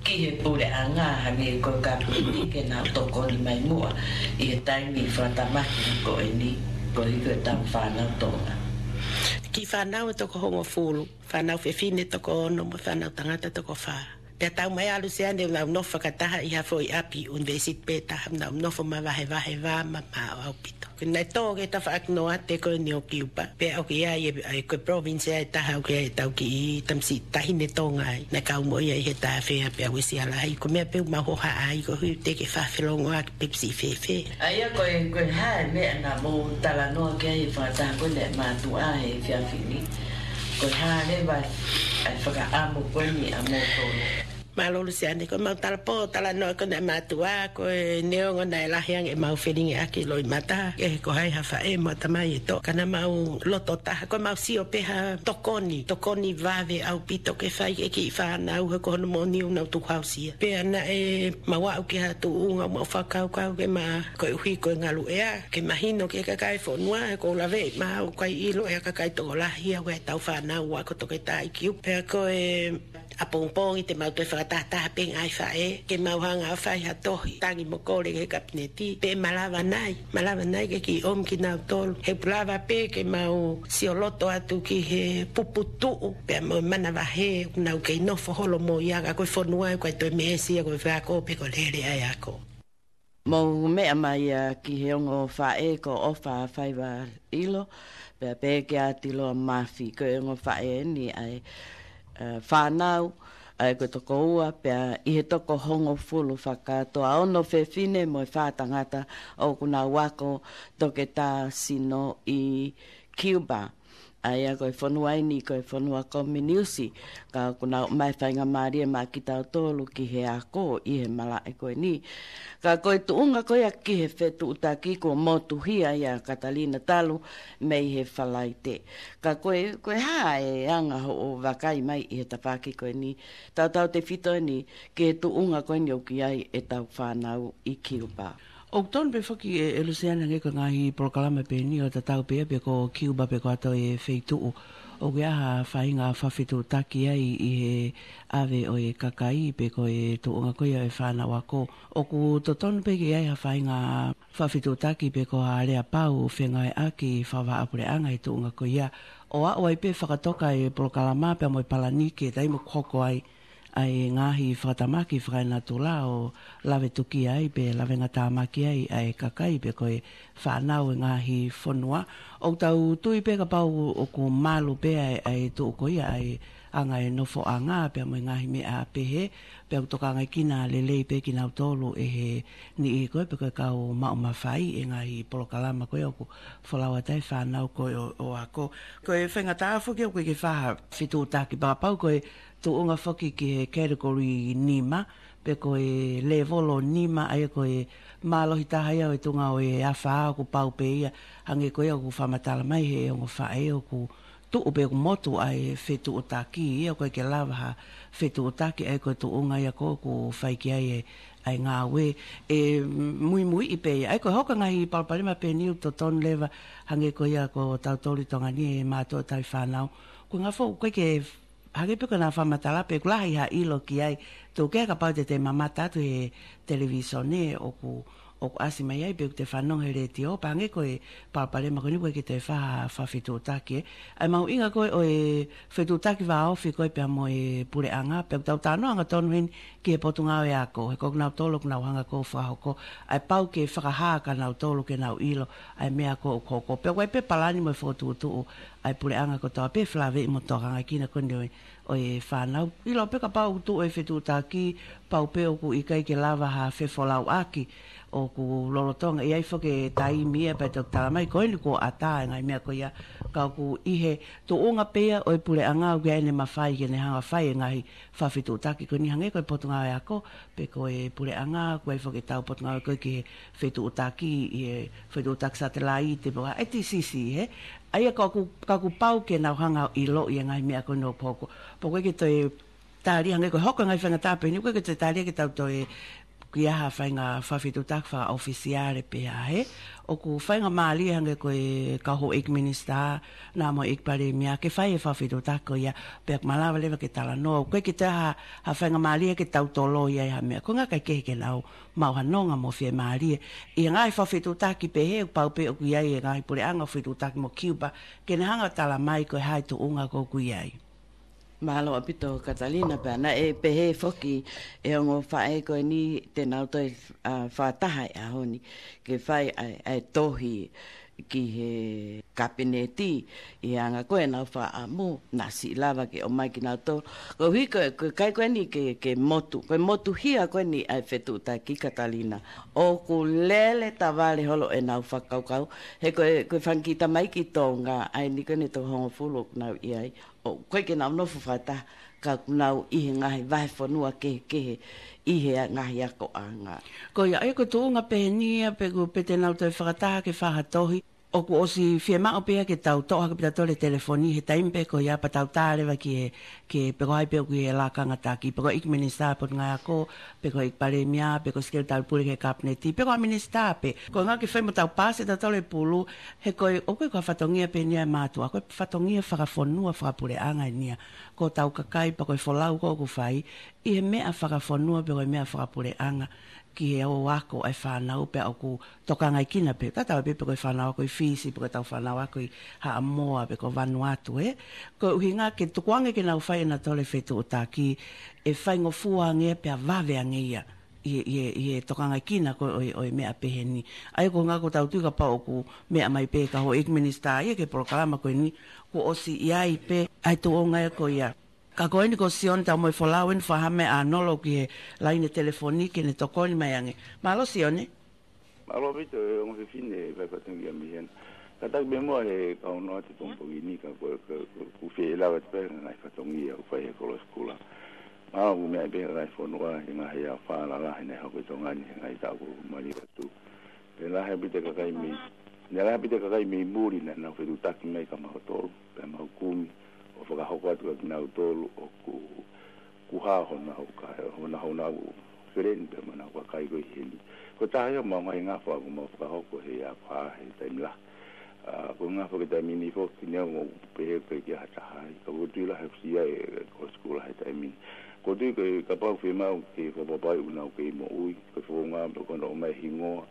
ki he puleʻanga, hangē ko e kapineti, ke nau tokoni mai muʻa ʻi he taimi fakatamaki ko eni, koeʻuhi ko ʻetau fānau Tonga. Kiʻi fānau ʻe toko hongofulu, fānau fefine toko ono mo e fānau tangata toko fā. Pea taumaiā, Luseane, ʻoku nau nofo fakataha ʻi ha foʻi ʻapi ʻunivēsiti pē taha, nau nofo mavahevahe, vā mamaʻo ʻaupito. Ko ʻene tō ki he tafaʻaki noate ko eni ʻo Kiupa, pea ʻoku ʻi ai e, e, ko e province ia ʻe taha ʻoku ʻi ai ʻetau kiʻi tamasiʻi taʻahine Tonga ai. Naʻe kau mo ia ʻi he tāfea pea uesia lahi. Ko e meʻa pē ʻoku mau hohaʻa ai koeʻuhi teʻeki ke fakafelongoaki pe siʻi fēfē. ʻA ia ko e, ko e hā e meʻa naʻa mou talanoa ki ai he fakataha ko eni e mātuʻa he efiafi ni? Ko e hā leva e fakaʻamu ko eni ʻa moutolu? Mālō Luseane, ko ʻemau talapō talanoa ko eni e mātuʻa, ko e neongo naʻe lahi ange ʻemau felingiʻaki loʻimata, ke ko hai ha faʻē mo e tamai ʻe tō, ka naʻa mau loto taha, ko ʻemau sio pē ha tokoni, tokoni vave ʻaupito ke fai ki he kiʻi fānau, he ko hono moʻoni ʻoku nau tukuhāusia. Pea naʻa mau aʻu ki ha tuʻunga ʻoku mau fakakaukau ke ma, koeʻuhi ko e ngaluʻea, ke mahino ki he kakai e fonua, he ʻoku ou laveʻi maʻau ʻoku ʻikai ʻilo ʻe he kakai tokolahi ia ʻa ʻetau fānau ʻoku ako toketā ʻi Kiupa. Pea ko e ʻapongipongi te mau toe fakatahataha pē ngaahi faʻē, ke mau hanga ʻo fai ha tohi, tangi mo kole ki he kapineti, pe ʻe malava nai, malava nai ke kiʻi ʻomi kinautolu. He ʻoku lava pē ke mau sioloto atu ki he puputuʻu, pea mo e manavahē, ʻoku nau kei nofo holo mo ia, ka ko e fonua ʻoku ʻikai toe meesi ia ko e faiako pe ko e lele ʻa e ako. Mou meʻa mai ia ki he ongo faʻē ko ʻOfa Faivaʻilo, pea pehē kia Tiloa Mafi, ko e ongo faʻē eni ʻa e, ē, fānau, ʻa ia ko e toko ua, pea ʻi he toko hongofulu fakakātoa, ono fefine mo e fā tangata ʻoku nau ako toketā sino ʻi Cuba. ʻA ia ko e fonua eni, ko e fonua kominiusi, ka ʻoku nau ʻomai faingamālie maʻa kitautolu ki he ako ʻi he malaʻe ko eni. Ka ko e tuʻunga ko ia ki he fetuʻutaki kuo motuhia ia Katalina talu mei he Falaite. Ka ko e, ko e hā e anga hoʻo vakai mai ʻi he tafaʻaki ko eni, tautautefito eni ki he tuʻunga ko eni ʻoku ʻi ai ʻetau fānau ʻi Cuba? ʻOku tonu pē foki ʻe, ʻe Luseana hangē ko e ngaahi polokalama pē eni ʻo tatau pē ia pe ko Cuba pe ko ha toe feituʻu ʻoku ʻi ai ha faʻahinga fakafetuʻutaki ai ʻi he ʻave ʻo e kakai pe ko e tuʻunga ko ia ʻo e fānau ako. ʻOku totonu pē ke ʻi ai ha faʻahinga fakafetuʻutaki pe ko ha aleapau fengāueʻaki fakavahaʻapuleʻanga he tuʻunga ko ia. ʻO aʻu ai pē fakatoka e polokalama pea mo e palani ki he taimi ʻoku hoko ai ʻa e ngaahi fakatamaki fakaenatula ʻo lave tuki ai pe lavengatāmaki ai ʻa e kakai pe ko e fānau ʻi he ngaahi fonua. ʻOku tau tui pē kapau ʻoku malu pē ʻa e, ʻa e tuʻu ko ia ʻa e anga e nofoʻanga pea mo e ngaahi meʻa pehē, pea ʻoku tokangaekina lelei pē kinautolu ʻe he niʻihi ko ē pe ko e kau maʻu mafai ʻi he ngaahi polokalama ko ē ʻoku folau atu ai e fānau ko ē ʻo, ʻo ako. Ko e faingataʻa foki ʻoku ʻikai ke fai ha fetuʻutaki, pea kapau ko e tuʻunga foki ki he category nima, pe ko e lēvolo nima, ʻa ia ko e mālohi taha ia ʻo e tuʻunga ʻo e afā ʻoku pau pē ia, hangē ko ia ʻoku fakamatala mai he ongo faʻē ʻoku tuʻu pe ʻoku motu ʻa e fetuʻutaki, ʻoku ʻikai ke lava ha fetuʻutaki, ʻa ia ko e tuʻunga ia ko ē ʻoku fai ki ai e, ʻa e ngāue. ʻE muimuiʻi pē ia, ʻa ia ko e hoko e ngaahi palopalema pē eni ʻoku totonu leva, hangē ko ia ko tautolu ʻi Tonga ni ʻe mātuʻa tauhi fānau. Ko e ngaahi foʻi, ʻoku ʻikai ke hangē pē ko ʻena fakamatala pē, ʻoku lahi ha ʻilo ki ai. Tuku kehe kapau te te mamata atu he televīsone ʻoku, ʻoku ʻasi mai ai pe ʻoku te fanongo he letiō, pea hangē ko e palopalema ko eni ʻoku ʻikai ke toe fai ha fakafetuʻutaki ē. ʻA e mahuʻinga ko ē ʻo e fetuʻutaki vāofi ko ē pea mo e puleʻanga, pea ʻoku tau talanoa angatonu heni ki he Potungāue Ako, he ko kinautolu ʻoku nau hanga ko ē ʻo fakahoko, ʻa e pau ke fakahā kia nautolu ke nau ʻilo ʻa e meʻa ko ē ʻoku hoko. Pea ʻoku ʻi ai pē palani mo e fokotuʻutuʻu ʻa e puleʻanga kotoa pē felāveʻi mo e tokangaekina ko eni ʻo e, ʻo e fānau. ʻIlo pē kapau ʻoku tuʻu e fetuʻutaki, pau pē ʻoku ʻikai ke lava ha fefolauʻaki, ʻoku lolotonga ʻi ai foki e taimi ia pea toki tala mai ko eni kuo ʻatā e ngaahi meʻa ko ia, ka ʻoku ʻi he tuʻunga pē ia ʻo e puleʻanga ʻoku ʻi ai ʻene mafai ke ne hanga ʻo fai e ngaahi fakafetuʻutaki ko eni hangē ko e Potungāue Ako, pe ko e puleʻanga, ʻoku ʻi ai foki ʻetau potungāue ko ē ki he fetuʻutaki, ʻi he fetuʻutaki satelaite, pe ko e T C C, he? ʻA ia ka ʻoku, ka ʻoku pau ke nau hanga ʻo ʻiloʻi e ngaahi meʻa ko eni ʻoku hoko. Pea ʻoku ʻikai ke toe tālia hangē ko e hoko e ngaahi faingataʻa pē eni, ʻoku ʻikai ke toe tālia ke tau toe ʻi ai ha faʻahinga fakafetuʻutaki fakaʻofisiale pē ia, he? ʻOku faingamālie hangē ko e kau houʻeiki minisitā, naʻa mo e ʻEiki Palēmia ke fai e fakafetuʻutaki ko ia, pea ʻoku malava leva ke talanoa, ʻoku ʻikai ke toe ha, ha faingamālie ke tau toloi ai ha meʻa. Ko e ʻuhinga ʻikai ke he ke nau maʻu ha nonga mo fiemālie. ʻI he ngaahi fakafetuʻutaki pehē, ʻoku pau pē ʻoku ʻi ai e ngaahi puleʻanga ʻoku fetuʻutaki mo Cuba, ke ne hanga ʻo tala mai ko e hā e tuʻunga ko ē ʻoku ʻi ai. Mālō ʻaupito Katalina, pea naʻe pehē foki ʻe he ongo faʻē ko eni te nau toe, ʻa, fakataha he ʻaho ni ke fai ʻa e, ʻa e tohi ki he kapineti, ʻi he anga ko ē ʻenau fakaʻamu, naʻa siʻi lava ke ʻomai kinautolu. Koeʻuhi ko e, ko e ʻikai ko eni ke, ke motu, ko e motuhia ko eni ʻa e fetuʻutaki Katalina, ʻoku lele tavale holo ʻenau fakakaukau, he ko e, ko e fanga kiʻi tamaiki Tonga ʻa eni ko eni ʻe toko hongofulu ʻoku nau ʻi ai, ʻoku ʻikai ke nau nofo fakataha, ka ʻoku nau ʻi he ngaahi vahefonua kehekehe ʻi he ngaahi akoʻanga. Ko ia, ʻa ia ko e tuʻunga pehē ni ia, pe ʻoku, pe te nau toe fakataha ke fai ha tohi, ʻoku ʻosi fiemaʻu pē ia ke tau toʻo hake pē ʻa e telefoni he taimi pē ko ia pea tau tā leva ki he, ki he, pe ko hai pē ʻoku ʻi he lakanga taki, pe ko e ʻEiki Minisitā Potungāue Ako, pe ko e ʻEiki Palēmia, pe ko e Sekelitali Pule ki he Kapineti, pe ko ha minisitā pē. Ko e ʻuhinga ke fai mo tau paasi ʻe tautolu e pulu, he ko e, ʻoku ʻikai ko ha fatongia pē eni ia ʻa e mātuʻa, ko e fatongia fakafonua, fakapuleʻanga eni ia. Ko hotau kakai pea ko e folau ko ē ʻoku fai, ʻi he meʻa fakafonua pe ko e meʻa fakapuleʻanga ki he ō ako ʻa e fānau pea ʻoku tokangaekina pē. Tatau ai pē pe ko e fānau ako ʻi Fisi, pe ko ʻetau fānau ako ʻi Haʻamoa, pe ko Vanuatu, ē. Ko e ʻuhinga ke tukuange ke nau fai ʻenau toe fetuʻutaki, ʻe faingofua ange pea vave ange ia ʻi he, ʻi he, ʻi he tokangaekina ko ē ʻo e, ʻo e meʻa pehē ni. ʻA ia ko e ʻuhinga ʻoku tau tui kapau ʻoku meʻa mai pē e kau houʻeiki minisitā ia ki he polokalama ko eni, kuo ʻosi ʻi ai pē ʻa e tuʻunga ia ko ia. Ka ko eni ko Sione Taumoefolau eni, fakahā mai ʻa Nolo ki he laine telefoni ke ne tokoni mai ange. Mālō Sione. Mālō ʻaupito e ongo fefine ʻa e fatongia mei hena. Kātaki pē muʻa he kau noa atu he pongipongi ni ka ko, ko, ko, ʻoku fie lava atu pē ngaahi fatongia ʻoku fai he kolo sikula. Mālō ʻoku meʻa pē ngaahi fonua he ngaahi ʻaho falala he naʻe hoko ʻi Tonga ni he ngaahi taʻu kuo maliu atu. Pea lahi ʻaupito e kakai mei, ne lahi ʻaupito e kakai mei muli naʻa nau fetuʻutaki mai kia mautolu, pea mau kumi ʻo fakahoko atu kia kinautolu ʻoku, ʻoku hā honau ka, honau, honau feleni pea mo honau kakai ko ē heni. Ko e taha ia ʻo e ngaahi ngafa ʻoku mau fakahoko he ʻaho ko ē he taimi lahi. ʻA, ko e ngafa ki he taimi ni foki neongo ʻoku pehē ʻoku ʻikai ke ʻi ai ha taha ai. Ka ʻoku ou tui lahi ʻoku ʻi ai e kolo sikula he taimi ni. ʻOku ou tui ko e kapau fiemaʻu ke fakapapauʻi ʻoku nau kei moʻui, ko e founga mo ko hono ʻomai hingoa,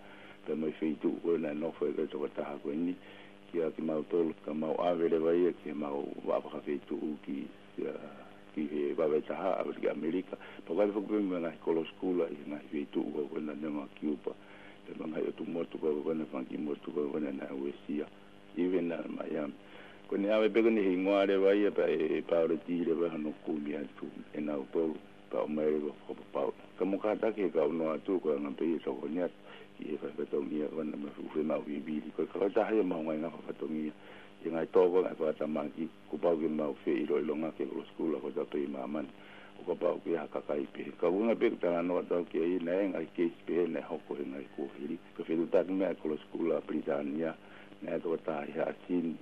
pea mo e feituʻu ko ē naʻe nofo ai e tokotaha ko eni, kia kimautolu, ka mau ʻave leva ia ki heʻemau vaʻa fakafeituʻu ki, ʻa, ki he vave taha, ʻa, ki ʻAmelika. Pea ʻoku ʻi ai foki pē mo e ngaahi kolo sikula ʻi he ngaahi feituʻu ko ē ko ena neongo Kiupa, pea mo e ngaahi ʻotu motu ko ē ko ena, fanga kiʻi motu ko ē ko ena naʻe uesia. Even ʻa Miami. Ko ʻene ʻave pē ko eni hingoa leva ia pea ʻe pāoleti leva hono kumi atu ʻe nautolu pea ʻomai leva fakapapau. Ka mou kātaki he kau noa atu ko e anga pē ia e tokoni atu ki he fai fatongia ko ena mo e fuʻu fiemaʻu vivili. Ko e kau taha ia ʻemau ngaahi ngafa fatongia. ʻI he ngaahi tō ko ē ngaahi fakatamaki, kuo pau ke mau feʻiloʻilonga ki he kolo sikula kotoa pē ʻi māmani. ʻO kapau ʻoku ʻi ai ha kakai pehē. Ka ʻoku ʻuhinga pē ʻeku talanoa atu au ki ai naʻe ngaahi keisi pehē naʻe hoko he ngaahi kuohili. Ko e fetuʻutaki mai ʻa e kolo sikula Pilitānia, naʻe tokotaha ʻi Haʻasini,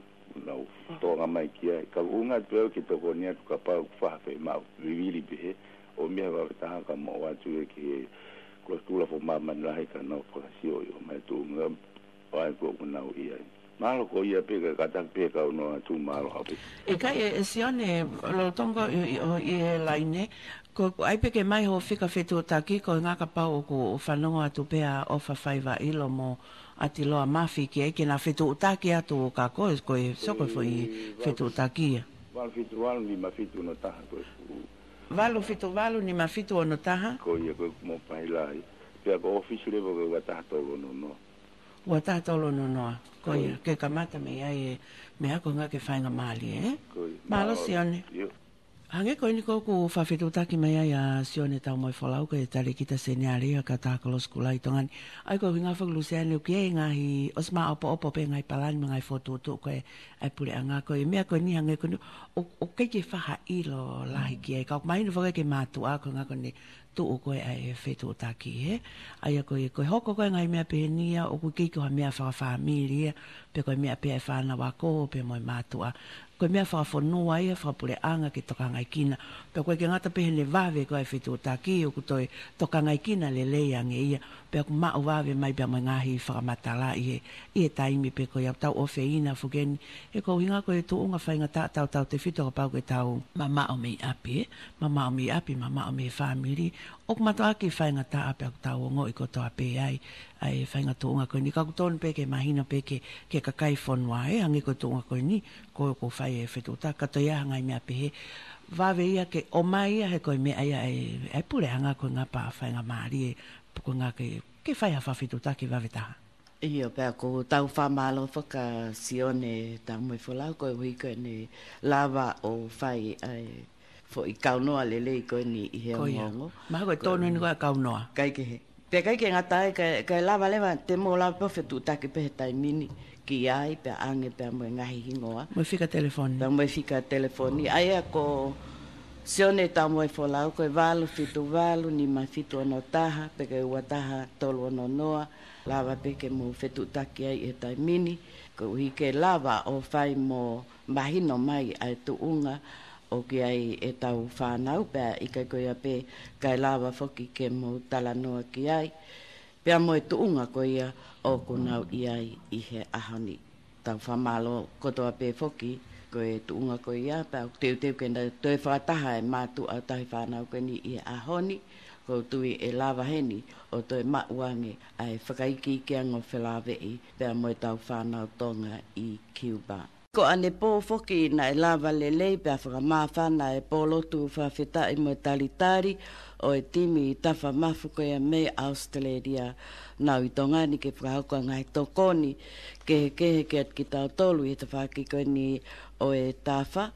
nau tō ange mai ki ai. Ka ʻoku ʻuhinga atu pē au ke tokoni atu kapau ʻoku fai ha fiemaʻu vivili pehē, ʻomai he vave taha ka moʻua atu ia ki he kolo sikula foʻi māmani lahi ka nau fakasioʻi ʻo ʻomai tuʻunga ʻo ʻai ko ē ʻoku nau ʻi ai. Mālō ko ia pē ka kātaki pē kau noa atu mālō ʻaupito. ʻIkai ē, ʻe Sione, lolotonga ʻi, ʻi, ʻi he laine, ko, ko ʻai pē ke mai hoʻo fika fetuʻutaki, ko e ʻuhinga kapau ʻoku fanongo atu pē ʻa ʻOfa Faivaʻilo mo ʻAtiloa Mafi ki ai ke na fetuʻutaki atu kia koe, ko e, so ko e foʻi fetuʻutaki ia. Valu fitu valu nima fitu ono taha ko e ku- Valu fitu valu nima fitu ono taha? Ko ia ko e mobile lahi. Pea ko e ʻōfisi leva ko e ua taha tolu ono noa. Ua taha tolu ono noa. Ko ia, ke kamata mei ai e meʻa ko e ʻuhinga ke faingamālie, ē? Ko ia. Mālō Sione. ʻIo. Hangē ko eni ko ē ʻoku fakafetuʻutaki mai ai ʻa Sione Taumoefolau ko e talēkita seniale ʻa e kautaha kolo sikula ʻi Tonga ni. ʻA ia ko e ʻuhinga foki Luseane ʻoku ʻi ai e ngaahi ʻosi māʻopoʻopo pē ngaahi palani mo e ngaahi fokotuʻutuʻu ko ē ʻa e puleʻanga ko e meʻa ko eni hangē ko eni ʻoku, ʻoku ʻikai ke fai ha ʻilo lahi ki ai. Ka ʻoku mahino foki ki he mātuʻa ko e ʻuhinga ko eni tuʻu ko ē ʻa e fetuʻutaki, ē? ʻA ia ko e, ko e hoko ko ē ngaahi meʻa pehē ni ia, ʻoku ʻikai ko ha meʻa fakafāmili ia, pe ko e meʻa pē ʻa e fānau ako, pe mo e mātuʻa. Ko e meʻa fakafonua ia, fakapuleʻanga ke tokangaʻi kina. Pea ʻoku ʻikai ke ngata pē heʻene vave ko ē ʻa e fetuʻutaki, ʻoku toe tokangaʻi kina lelei ange ia, pea ʻoku maʻu vave mai pea mo e ngaahi fakamatala ʻi he, ʻi he taimi pē ko ia. Tau ʻofeina foki eni, he ko e ʻuhinga ko e tuʻunga faingataʻa tautautefito kapau ʻoku tau mamaʻo mei ʻapi, ē? Mamaʻo mei ʻapi, mamaʻo mei he fāmili. ʻOku mātuʻaki faingataʻa pea ʻoku tau ongoʻi kotoa pē ai ʻa e faʻahinga tuʻunga ko eni. Ka ʻoku totonu pē ke mahino pē ki he, ki he kakai fonua, ē, hangē ko e tuʻunga ko eni, ko, ko e fai e fetuʻutaki, ka toe ʻi ai ha ngaahi meʻa pehē. Vave ia ke ʻomai ia he ko e meʻa ia ʻa e, ʻa e puleʻanga ko e ʻuhinga pea faingamālie, ko e ʻuhinga ke, ke fai ha fakafetuʻutaki vave taha. ʻIo, pea ʻoku tau fakamālō foki kia Sione Taumoefolau koeʻuhi ko ʻene lava ʻo fai ʻa e foʻi kaunoa lelei ko eni ʻi he ongoongo. Mahalo ko e tonu eni ko ē ʻa e kaunoa. ʻIkai ke he. Pea ʻikai ke ngata ai, ka, ka lava leva, te mou lava pē ʻo fetuʻutaki pē he taimi ni ki ai, pea ʻange pea mo e ngaahi hingoa. Mo e fika telefoni. Pea mo e fika telefoni. ʻA ia ko Sione Taumoefolau, ko e valu fitu valu nima fitu ono taha, pe ko e ua taha tolu ono noa, lava pē ke mou fetuʻutaki ai he taimi ni, koeʻuhi ke lava ʻo fai mo mahino mai ʻa e tuʻunga ʻoku ʻi ai ʻetau fānau pea ʻikai ko ia pē kae lava foki ke mou talanoa ki ai. Pea mo e tuʻunga ko ia ʻoku nau ʻi ai ʻi he ʻaho ni. Tau fakamālō kotoa pē foki, ko e tuʻunga ko ia, pea ʻoku teuteu ke nau toe fakataha e mātuʻa ʻo e tauhi fānau ko eni ʻi he ʻaho ni, ʻoku ou tui ʻe lava heni ʻo toe maʻu ange ʻa e fakaikiiki ange ʻo felāveʻi, pea mo ʻetau fānau Tonga ʻi Cuba. Ko ʻanepō foki naʻe lava lelei pea fakamāfana e pōlotu fakafetaʻi mo e talitali ʻo e timi Tafamafu ko ia mei ʻAositelēlia, nau ʻi Tonga ni ke fakahoko ʻa e ngaahi tokoni kehekehe kiate kitautolu ʻi he tafaʻaki ko eni ʻo e tafa.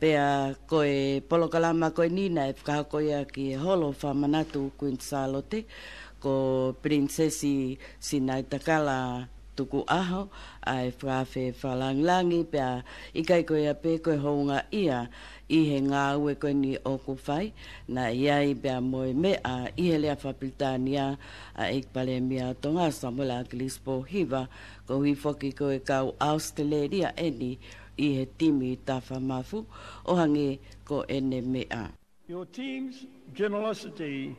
Pea ko e polokalama ko eni naʻe fakahoko ia ki he holo fakamanatu Kuini Sālote, ko Pilinisesi Sinaitakala Tukuʻaho ʻa e fakaafe fakalāngilangi, pea ʻikai ko ia pē ko e houngaʻia ʻi he ngāue ko eni ʻoku fai, naʻe ʻi ai pea mo e meʻa ʻi he lea fakapilitānia ʻa e ʻEiki Palēmia ʻo Tonga, Samuela ʻAkilisi Pōhiva, koeʻuhi foki ko e kau ʻAositelēlia eni ʻi he timi Tafamafu, ʻo hangē ko ʻene meʻa. Your team's generosity,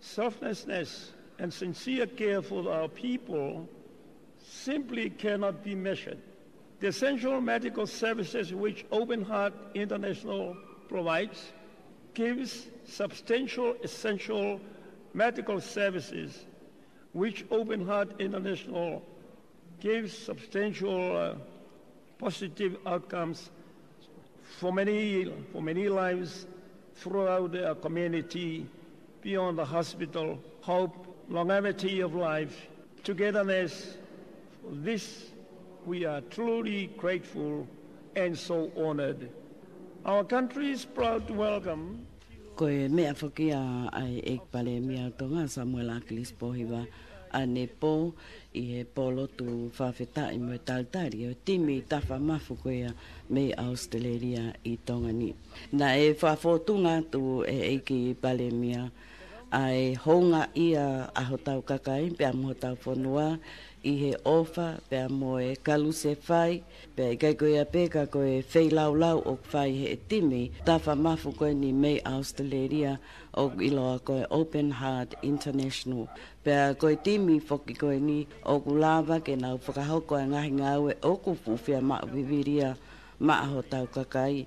selflessness, and sincere care for our people simply cannot be measured. The essential medical services which Open Heart International provides gives substantial essential medical services which Open Heart International gives substantial, uh, positive outcomes for many, for many lives throughout our community, beyond the hospital. Hope, longevity of life, togetherness. For this, we are truly grateful and so honored. Our country is proud to welcome Ko e meʻa foki ia ʻa e ʻEiki Palēmia ʻo Tonga, Samuela ʻAkilisi Pōhiva, ʻanepō ʻi he pōlotu fakafetaʻi mo e talitali ʻo e timi Tafamafu ko ia mei ʻAositelēlia ʻi Tonga ni. Naʻe fakafōtunga atu ʻe he ʻEiki Palēmia ʻa e houngaʻia ʻa hotau kakai pea mo hotau fonua ʻi he ʻofa pea mo e kalusefai, pea ʻikai ko ia pē ka ko e feilaulau ʻoku fai ʻe he timi Tafamafu ko eni mei ʻAositelēlia ʻoku ʻiloa ko e Open Heart International. Pea ko e timi foki ko eni ʻoku lava ke nau fakahoko ʻa e ngaahi ngāue ʻoku fuʻu fiemaʻu vivili ia maʻa hotau kakai.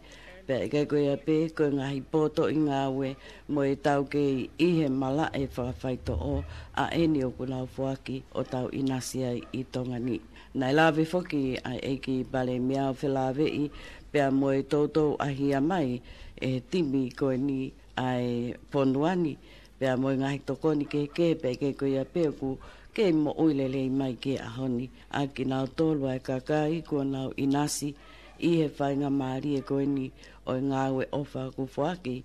Pea ʻikai ko ia pē ko e ngaahi potoʻi ngāue mo e taukei ʻi he malaʻe fakafaitoʻo ʻa eni ʻoku nau foaki ʻo tau ʻinasi ai ʻi Tonga ni. Naʻe lave foki ʻa e ʻEiki Palēmia ʻo felāveʻi pea mo e toutou ʻahia mai ʻe he timi ko eni ʻa e fonua ni, pea mo e ngaahi tokoni kehekehe pea ʻikai ko ia pē ʻoku kei moʻui lelei mai ki he ʻaho ni ʻa kinautolu ʻa e kakai kuo nau ʻinasi ʻi he faingamālie ko eni ʻo e ngāue ʻofa ʻoku foaki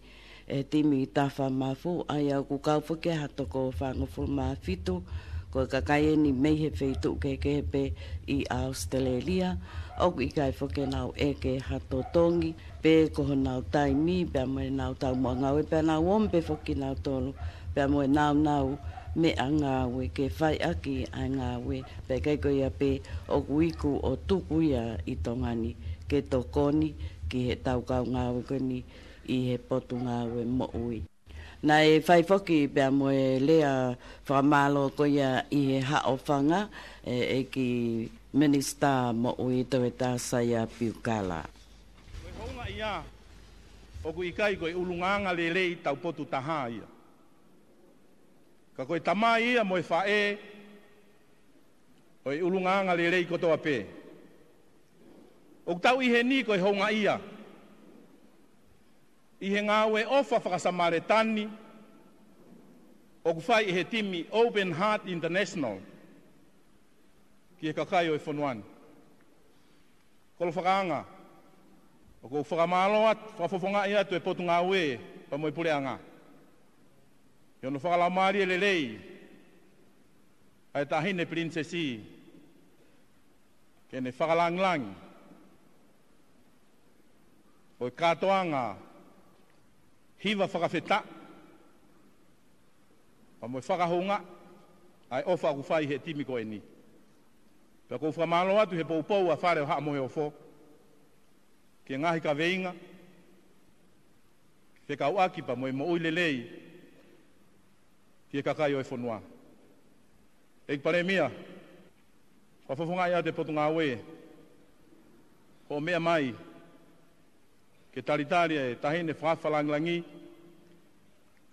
ʻe he timi Tafamafu, ʻa ia ʻoku kau foki ha toko fāngofulu mā fitu, ko e kakai eni mei he feituʻu kehekehe pē ʻi ʻAositelēlia, ʻoku ʻikai foki ke nau ʻeke ha totongi, pe ko honau taimi, pea mo ʻenau taumuʻa ngāue, pea nau omi pē foki kinautolu, pea mo e nāunau meʻangāue ke fai ʻaki ʻa e ngāue, pea ʻikai ko ia pē ʻoku iku ʻo tuku ia ʻi Tonga ni, ke tokoni ki heʻetau kau ngāue ko eni ʻi he Potungāue Moʻui. Naʻe fai foki pea mo e lea fakamālō ko ia ʻi he haʻofanga ʻe he ʻEiki Minisitā Moʻui Tevita Saia Piukala. Ko e houngaʻia ʻoku ʻikai ko e ʻulungaanga lelei taupotu taha ia. Ka ko e tamai ia mo e faʻē ʻo e ʻulungaanga lelei kotoa pē. ʻOku tau ʻi heni ko e houngaʻia ʻi he ngāue ʻofa faka-Samēlia ʻoku fai ʻe he timi Open Heart International ki he kakai ʻo e fonua ni. Kolo fakaanga, ʻoku ou fakamālō atu, fakafofongaʻi atu e Potungāue pea mo e Puleʻanga ʻi hono fakalaumālie lelei ʻa e Taʻahine Pilinisesi, ke ne fakalāngilangi ʻo e kātoanga hiva fakafetaʻi pea mo e fakahoungaʻi ʻa e ʻofa ʻoku fai ʻe he timi ko eni. Pea ʻoku ou fakamālō atu he poupou ʻa Fale ʻo Haʻa Moheofo ki he ngaahi kaveinga fekauʻaki pea mo e moʻui lelei ki he kakai ʻo e fonua. ʻEiki Palēmia, fakafofongaʻi atu e Potungāue hoʻo meʻa mai ke talitali e Taʻahine Fakaafe Fakalāngilangi,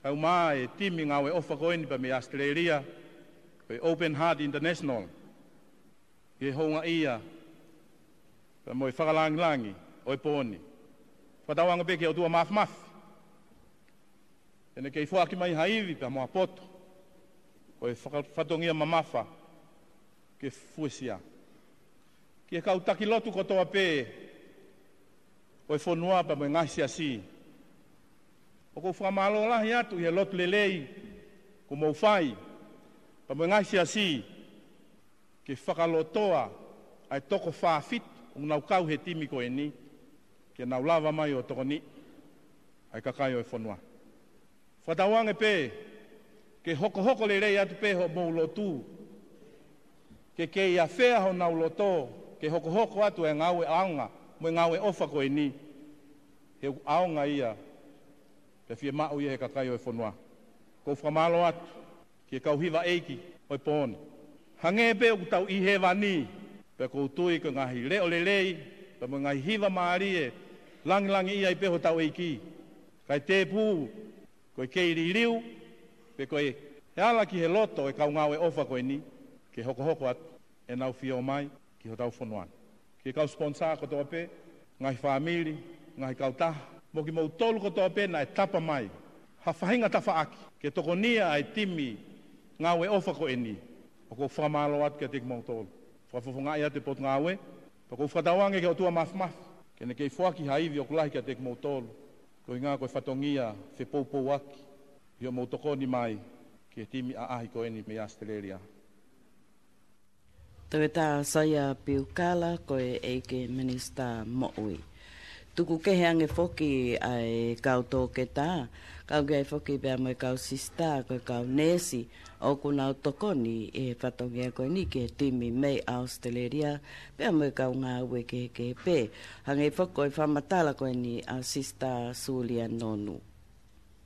kaeʻumaʻā e timi ngāue ʻofa ko eni pea mei ʻAositelēlia, ko e Open Heart International, ki he houngaʻia pea mo e fakalāngilangi ʻo e pō ni. Fakatauange pē ki he ʻOtua Māfimafi, ʻe ne kei foaki mai ha ivi pea mo ha poto ʻo e faka-, fatongia mamafa ke fuesia. Ki he kau taki lotu kotoa pē ʻo e fonua pea mo e ngaahi siasi. ʻOku ou fakamālō lahi atu ʻi he lotu lelei kuo mou fai pea mo e ngaahi siasi ke fakalotoa ʻa e toko fā fitu ʻoku nau kau he timi ko eni ke nau lava mai ʻo tokoniʻi ʻa e kakai ʻo e fonua. Fakatauange pē ke hokohoko lelei atu pē hoʻomou lotu, ke kei afea honau loto ke hokohoko atu e ngāue ʻaonga mo e ngāue ʻofa ko eni, he ʻoku ʻaonga ia pea fiemaʻu ia he kakai ʻo e fonua. ʻOku ou fakamālō atu ki he kau hiva ʻeiki ʻo e pō ni. Hangē pē ʻoku tau ʻi hēvani, pea ʻoku ou tui ko e ngaahi leʻo lelei pea mo e ngaahi hiva mālie, langilangiʻia ai pē hotau ʻEiki. Kae tēpū ko e kei liliu pe ko e ala ki he loto e kau ngāue ʻofa ko eni ke hokohoko atu ʻenau fio mai ki hotau fonua ni. Ki he kau sponsor kotoa pē, ngaahi fāmili, ngaahi kautaha, mo kimoutolu kotoa pē naʻe tapa mai ha faʻahinga tafaʻaki ke tokonia ʻa e timi ngāue ʻofa ko eni, ʻoku ou fakamālō atu kiate kimoutolu. Fakafofongaʻi atu e potungāue, pea ʻoku ou fakatauange ki he ʻOtua Māfimafi ke ne kei foaki ha ivi ʻoku lahi kiate kimoutolu, koeʻuhinga ko e fatongia fepoupouaki ʻi hoʻomou tokoni mai ki he timi ʻaʻahi ko eni mei ʻAositelēlia. Toketā Saia Piukala, ko e ʻEiki Minisitā Moʻui. Tuku kehe ange foki ʻa e kau toketā, kau ki ai foki pea mo e kau sisitā, ko e kau neesi, ʻoku nau tokoni ʻi he fatongia ko eni ki he timi mei ʻAositelēlia, pea mo e kau ngāue kehekehe pē. Hangē foki ko e fakamatala ko eni ʻa Sisitā Sulia Nonu.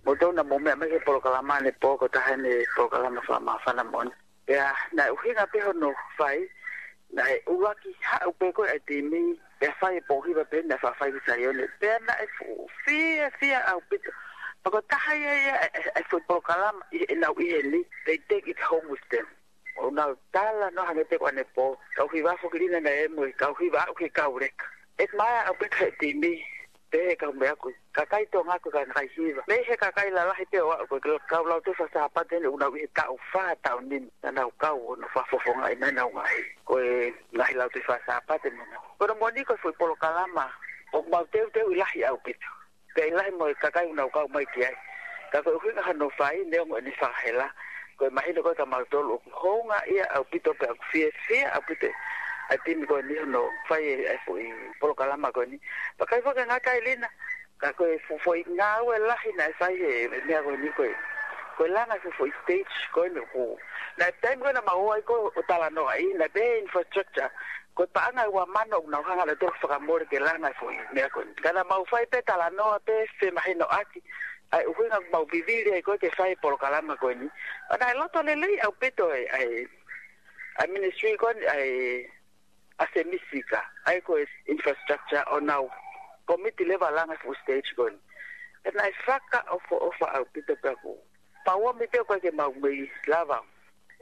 Mou tau na mou meʻa mai ki he polokalama ʻanepō, ko e taha eni e polokalama fakamāfana moʻoni. Pea naʻe ʻuhinga pē hono fai, naʻe ʻuluaki haʻu pē ko ē ʻa e timi, pea fai e pō hiva pē naʻe faʻa fai ki Saione. Pea naʻe fuʻu fiefia ʻaupito. Pea ko e taha ia ia e, e, e foʻi polokalama ʻi heʻenau ʻi heni, they take it home with them. ʻOku nau talanoa hangē pē ko ʻanepō, kau hiva foki Lina naʻe ʻi ai mo e kau hiva aʻu ki he kau leka. ʻE maea ʻaupito he timi, pehē kau meʻa ko e kakai Tonga ko e kakai hiva. Mei he kakai lalahi pē ʻo aʻu ko e kau lautohi faka-Sāpate ni ʻoku nau ʻi he taʻu fā, taʻu nima naʻa nau kau ʻo nau fakafofongaʻi mai ʻenau ngaahi, ko e ngaahi lautohi faka-Sāpate ni. Ko hono moʻoni ko e foʻi polokalama ʻoku mau teuteuʻi lahi ʻaupito. Pea ʻi lahi mo e kakai ʻoku nau kau mai ki ai. Ka ko e ʻuhinga hono fai, neongo ʻene fakahela, ko e mahino ko ē kia mautolu ʻoku houngaʻia ʻaupito pea ʻoku fiefia ʻaupito ʻa e timi ko eni hono fai e, e foʻi polokalama ko eni. Pea ʻikai foki ke ngata ai Lina, ka ko e fo-, foʻi ngāue lahi naʻe fai he, he meʻa ko eni ko e, ko e langa e fo-, foʻi stage ko eni ʻoku. Naʻe taimi ko ē naʻa mau ō ai ko ē ʻo talanoaʻi, naʻe pehē infrastructure, ko e paʻanga ʻe ua mano ʻoku nau hanga ʻe nautolu ʻo fakamole ke langa e foʻi meʻa ko eni. Ka naʻa mau fai pē talanoa pē femahinoʻaki ʻa e ʻuhinga ʻoku mau vivili ai ko ē ke fai e polokalama ko eni. Pea naʻe loto lelei ʻaupito e, ʻa e, ʻa e ministry ko eni, ʻa e, ʻa e Semisika, ʻa e ko e infrastructure ʻo nau komiti leva langa e fuʻu stage ko eni. Pea naʻe fakaʻofoʻofa ʻaupito pea ʻoku pau ʻomi pē ʻoku ʻikai ke mau mei lava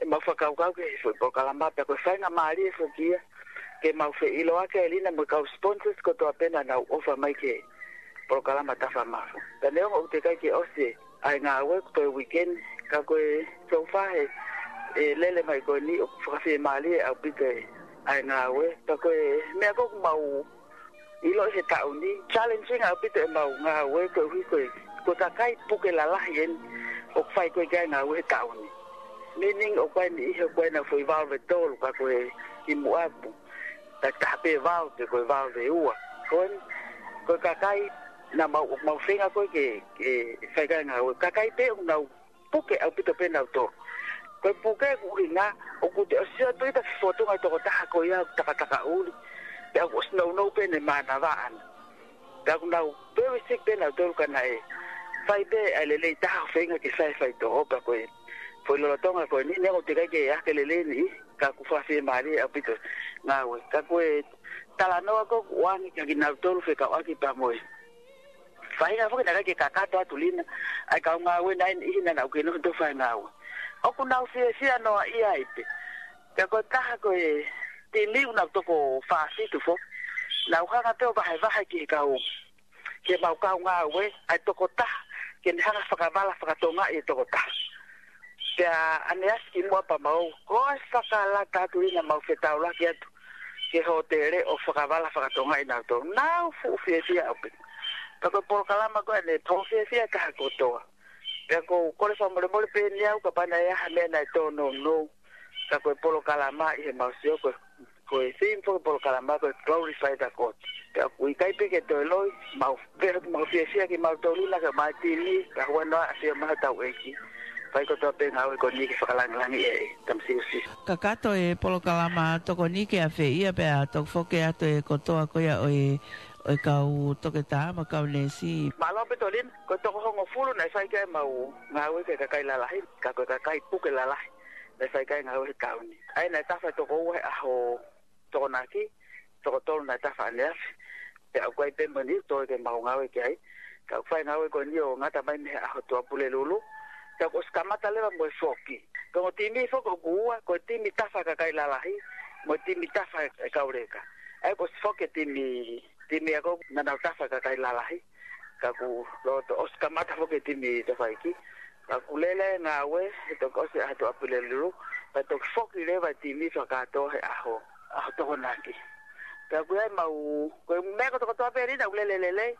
ʻemau fakakaukau ki he foʻi polokalama, pea ko e faingamālie foki ia ke mau feʻiloaki ai Lina mo e kau sponsors kotoa pē naʻa nau ʻofa mai ki he polokalama Tafa Mafu. Pea neongo ʻoku teʻeki ai ke ʻosi ʻa e ngāue ko e weekend, ka ko e so far he, e lele mai ko eni ʻoku fakafiemālie ʻaupito ʻa e ngāue. Pea ko e meʻa ko ē ʻoku mau ʻiloʻi he taʻu ni, challenging ʻaupito ʻemau ngāue koeʻuhi ko e, ko e kakai puke lalahi eni ʻoku fai ko ē ki ai e ngāue he taʻu ni. Meaning ʻoku ʻi ai e niʻihi ʻoku ʻi ai ʻenau foʻi valve ʻe tolu ka ko e kimuʻa ʻoku taki taha pē valve pe ko e valve ʻe ua. Ko eni, ko e kakai naʻa mau, mau feinga ko ē ke, ke fai ki ai e ngāue. Kakai pē ʻoku nau puke ʻaupito pē nautolu. Ko e puke ʻoku ʻuhinga, ʻoku te ʻosi ʻoatu ʻi he fotunga e tokotaha ko ia ʻoku takataka ʻuli. Pea ʻoku ʻosi nounou pē ʻene mānava ʻana. Pea ʻoku nau very sick pē nautolu ka naʻe fai pē ʻa e lelei taha ʻo feinga ke fai e faitoʻo pea ko e foʻi lolotonga ko eni neongo ʻoku teʻeki ai ke ʻi ai ha lelei ni, ka ʻoku fakafiemālie ʻaupito e ngāue. Ka ko e talanoa ko ē ʻoku ʻoange kia kinautolu fekauʻaki pea mo e faʻahinga foki naʻe ʻikai ke kakato atu Lina, ʻa e kau ngāue naʻe ʻi ai e niʻihi naʻa nau kei nofo ʻo fai e ngāue. ʻOku nau fiefia noaʻia ai pē. Pea ko e taha ko e timi ʻoku nau toko fā fitu foki. Nau hanga pē ʻo vahevahe ki he kau, ki heʻemau kau ngāue, ʻa e tokotaha, ke ne hanga ʻo fakavala fakatongaʻi e tokotaha. Pea ʻaneafi kimuʻa pea mau, ko e fakalata atu Lina mau fetaulaki atu ke hōtele ʻo fakavala fakatonga ʻi nautolu. Nau fuʻu fiefia ʻaupito. Ka ko e polokalama ko ē ne tō fiefia ka ha kotoa. Pea ko u kole fakamolemole pē ni au kapau naʻe ʻi ai ha meʻa naʻe tōnounou. Ka ko e polokalama ʻi he mau sio ko e, ko e theme foki polokalama ko e Glorify the God. Pea ʻoku ʻikai pē ke toe loi, mau, pea mau fiefia kimautolu na ka mai timi, ka huanoa ʻa fia maha tau ʻEiki. Fai kotoa pē ngāue ko eni ke fakalangilangi e tamasiusi. Kakato e polokalama tokoni ke afeʻia pea toki foki atu e kotoa ko ia ʻo e, ʻo e kau toketā mo e kau neesi. Mālō Petolina, ko e toko hongofulu naʻe fai ki ai ʻemau ngāue ki he kakai lalahi, ka ko e kakai puke lalahi, naʻe fai ki ai ngāue he taʻu ni. ʻA ia naʻe tafa toko ua he ʻaho Tokonaki, toko tolu naʻe tafa ʻaneafi. Pea ʻoku ʻi ai pē mo eni toe ke mau ngāue ki ai. Ka ʻoku fai ngāue ko eni ʻo ngata mai mei he ʻaho Tuʻapulelulu. Pea kuo ʻosi kamata leva mo e foki. Ko e ongo timi foki ʻoku ua, ko e timi tafa kakai lalahi, mo e timi tafa e kau leka. ʻA ia kuo ʻosi foki e timi, timi ako naʻa nau tafa kakai lalahi. Ka kuo loto ʻosi kamata foki e timi tafaʻaki. Ka kuo lele ngāue, he toki ʻosi ʻaho Tuʻapulelulu, pea toki foki leva e timi fakakātoa he ʻaho, ʻaho Tokonaki. Pea ʻoku ʻi ai ʻemau, ko e meʻa kotokotoa pē ʻeni naʻa ku lele lelei,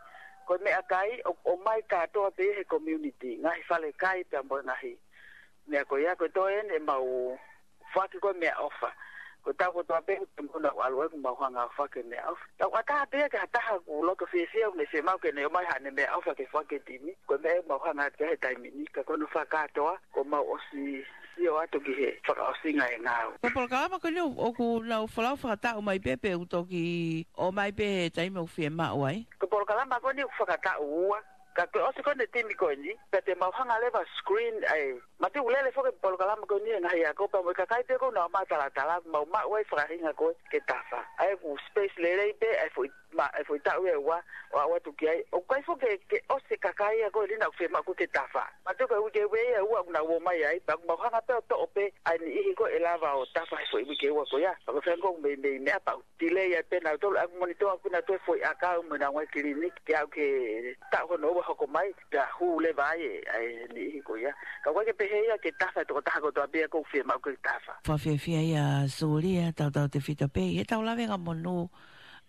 ko e meʻakai, ʻo, ʻomai kātoa pē he community, ngaahi falekai pea mo e ngaahi. Meʻa ko ia, ko e toe ʻeni ʻemau foaki ko e meʻaʻofa. Ko e taʻu kotoa pē, ko e muna ʻalu ai ʻoku mau hanga ʻo foaki e meʻaʻofa. Tau ʻatā pē ia ki ha taha ʻoku loto fiefia ʻoku ne fiemaʻu ke ne ʻomai haʻane meʻaʻofa ke foaki e timi. Ko e meʻa ʻoku mau hanga atu ki ai he taimi ni, ka ko hono fakakātoa, kuo mau ʻosi sio atu ki he fakaʻosinga e ngāue. Ko e polokalama ko eni ʻoku nau folau fakataʻu mai pē pe ʻoku toki ʻomai pē he taimi ʻoku fiemaʻu ai? Ko e polokalama ko eni ʻoku fakataʻu ua, ka ko e ʻosi ko eni e timi ko eni, pea te mau hanga leva ʻo screen ai. Mātuʻa lele foki e polokalama ko eni he ngaahi ako pea mo e kakai pē ʻoku nau matalatala, mau maʻu ai e faʻahinga ko ē ke tafa. ʻA ia ʻoku space lelei pē, ʻa e foʻi, ma, ʻa e foʻi taʻu ʻe ua, ʻo aʻu atu ki ai. ʻOku ʻikai foki ke, ke ʻosi e kakai ia ko ē ʻoku fiemaʻu ke tafa. Mātuʻa ko e uike ʻe ua ia ʻoku nau ō mai ai, pea ʻoku mau hanga pē ʻo toʻo pē ʻa e niʻihi ko ē ʻe lava ʻo tafa he foʻi uike ʻe ua ko ia. Pea ko e fanga ʻoku meimei meʻa pea ʻoku delay ai pē nautolu, ʻa ia ʻoku monitor ʻaupito nautolu e foʻi ʻakau mo e ngaahi kiliniki, ke aʻu ki he taʻu hono ua hoko mai, pea hū leva ai e, ʻa e niʻihi ko ia. Ka ʻoku ʻikai ke pehē ia ke tafa e tokotaha kotoa pē ia ʻoku fiemaʻu ke tafa. Fakafiefia ia Sulia, tautautefito pē ʻi heʻetau lavengamonū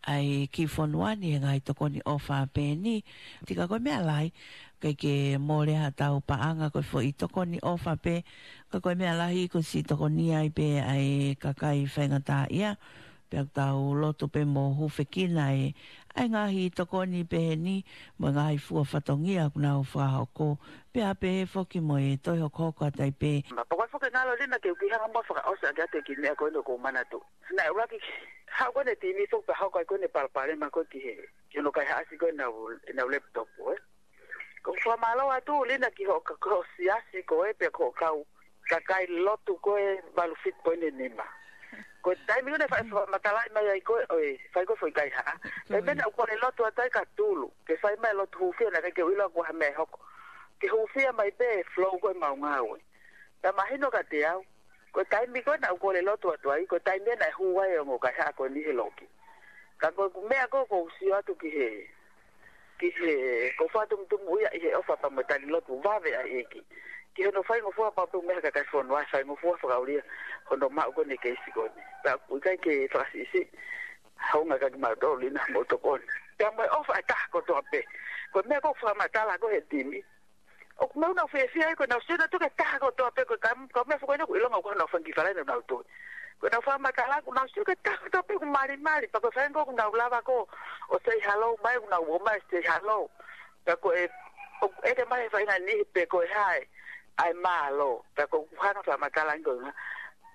ʻa e kiʻi fonua ni he ngaahi tokoni ʻofa pē ʻeni. Tika ko e meʻa lahi, ʻikai ke mole haʻatau paʻanga ko e foʻi tokoni ʻofa pē, ka ko e meʻa lahi ko e siʻi tokoni ai pē ʻa e kakai faingataʻaʻia, pea ʻoku tau lotu pē mo hūfekina e, ʻa e ngaahi tokoni pehē ni, mo e ngaahi fua fatongia ʻoku nau fakahoko, pea pehē foki mo e toe hokohoko atu ai pē. Ma, pea ko e foki ngalo Lina ke u kiʻi hanga mo fakaʻosi ʻaki atu e kiʻi meʻa ko eni ʻoku ou manatuʻi. Naʻe ʻuluaki haʻu ko eni e timi foki pea hoko ai ko eni e palopalema ko ē ki he, ki hono kaihaʻasi ko ē ʻenau, ʻenau laptop, ē. Ko e fakamālō atu Lina ki hoʻo ka, ko hoʻo siasi ko ē pea ko hoʻo kau kakai lotu ko ē valu fitu poini nima. Ko e taimi ko ē naʻe fai fakamatalaʻi mai ai ko ē, ʻo e, fai ko ē foʻi kaihaʻa. Ko e meʻa naʻa ku kole lotu atu ai ka tulu, ke fai mai lotu hūfia naʻe ʻikai ke u ʻilo ʻoku ʻi ai ha meʻa ʻe hoko. Ke hūfia mai pē e flow ko ē ʻemau ngāue. Pea mahino kiate au, ko e taimi ko ē naʻa ku kole lotu atu ai, ko e taimi ia naʻe hū ai e ongo kaihaʻa ko eni he loki. Ka ko e meʻa ko ē ʻoku ou sio atu ki he, ki he, ʻoku ou fakatumutumu ia ʻi he ʻofa pea mo e tali lotu vave ʻa e ʻEiki. Ki hono faingofua pea pehē mai ha kakai fonua, faingofua fakaʻulia hono maʻu ko eni e keisi ko eni. Pea ʻoku ʻikai ke fakasiʻisiʻi, hounga kiate kimautolu Lina mo tokoni. Pea mo e ʻofa e taha kotoa pē. Ko e meʻa ʻoku ou fakamatala ko ē he timi. ʻOku nau nau fiefia ai, ko ʻenau sio nautolu ki he taha kotoa pē, ko e ka, ka meʻa foki ko ena ʻoku ʻilonga ʻoku nau fanga kiʻi falai nautolu. Ko ʻenau fakamatala, ʻoku nau sio ki he taha kotoa pē ʻoku malimali, pea ko e faʻahinga ʻoku nau lava ko ē ʻo say hello mai, ʻoku nau ō mai say hello. Pea ko e, ʻoku ʻeke mai he faʻahinga niʻihi pe ko e hā e, ʻa e mālō. Pea ko ʻeku hanga fakamatala ange ko e ngaahi,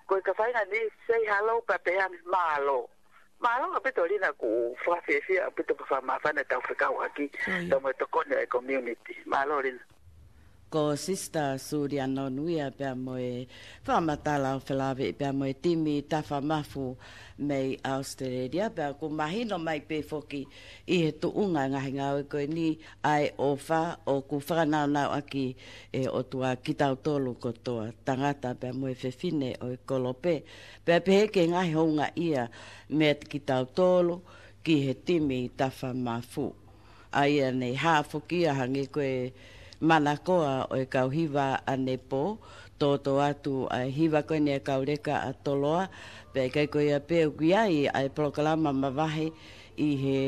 ko e ka faʻahinga niʻihi say hello, pea pehē ange mālō. Mālō ʻaupito Lina, ʻoku fakafiefia ʻaupito pea fakamāfana ʻetau fekauʻaki, Sio ia. Pea mo e tokoni ʻa e community. Mālō Lina. Ko Sister Sulia Nonuia pea mo e fakamatala ʻo felāveʻi pea mo e timi Tafa Mafu mei Australia, pea ʻoku mahino mai pē foki ʻi he tuʻunga e ngaahi ngāue ko eni ʻa e ʻofa ʻoku fakanaunauʻaki ʻe he ʻOtua kitautolu kotoa, tangata pea mo e fefine ʻo e kolope. Pea pehē ki he ngaahi houngaʻia meiate kitautolu ki he timi Tafa Mafu. ʻA ia naʻe hā foki ia hangē ko e, manakoa ʻo e kau hiva ʻanepō, tōtō atu ʻa e hiva ko eni ʻa e kau leka ʻa Toloa, pea ʻikai ko ia pē ʻoku ʻi ai ʻa e polokalama mavahe ʻi he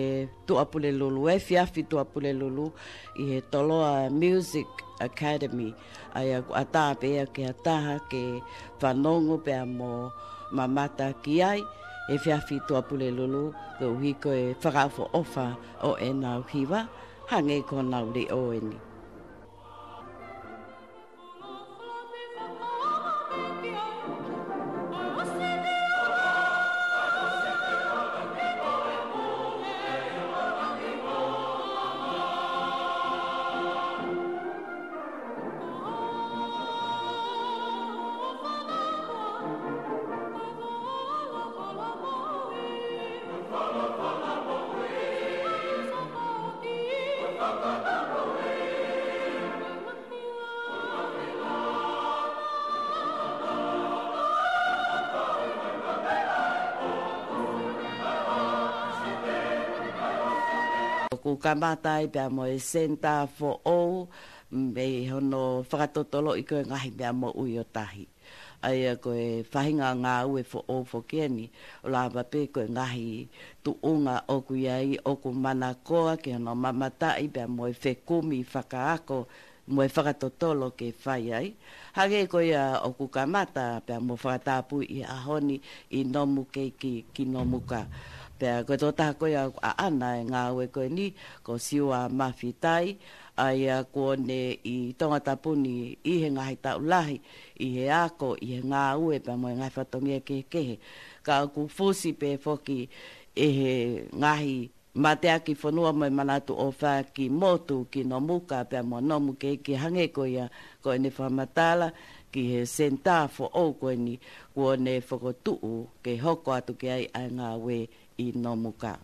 Tuʻapulelulu, efiafi Tuʻapulelulu, ʻi he Toloa Music Academy, ʻa ia ʻoku ʻatā pē ia ki ha taha ke fanongo pea mo mamata ki ai, efiafi Tuʻapulelulu, koeʻuhi ko e fakaʻofoʻofa ʻo ʻenau hiva, hangē ko honau leʻo eni. ʻOku kamata ai pea mo e senitā foʻou, mei hono fakatotoloʻi ko e ngaahi meʻa moʻui ʻo tahi. ʻA ia ko e faʻahinga ngāue foʻou foki eni, ʻo lava pē ko e ngaahi tuʻunga ʻoku ʻi ai ʻoku manakoa ki hono mamataʻi pea mo e fekumi fakaako mo e fakatotolo ke fai ai. Hangē ko ia ʻoku kamata pea mo fakatapui ʻi he ʻaho ni ʻi Nomukeiki ki Nomuka. Pea ko e tokotaha ko ia ʻoku ʻaʻana e ngāue ko eni, ko Siua Mafitai, ʻa ia kuo ne ʻi Tongatapu ni ʻi he ngaahi taʻu lahi, ʻi he ako, ʻi he ngāue pea mo e ngaahi fatongia kehekehe. Ka ʻoku fusi pē foki ʻe he ngaahi mateaki fonua mo e manatu ʻofa ki motu, ki Nomuka pea mo Nomukeiki, hangē ko ia ko ʻene fakamatala ki he senitā foʻou ko eni kuo ne fokotuʻu ke hoko atu ki ai ʻa e ngāue ʻi Nomuka.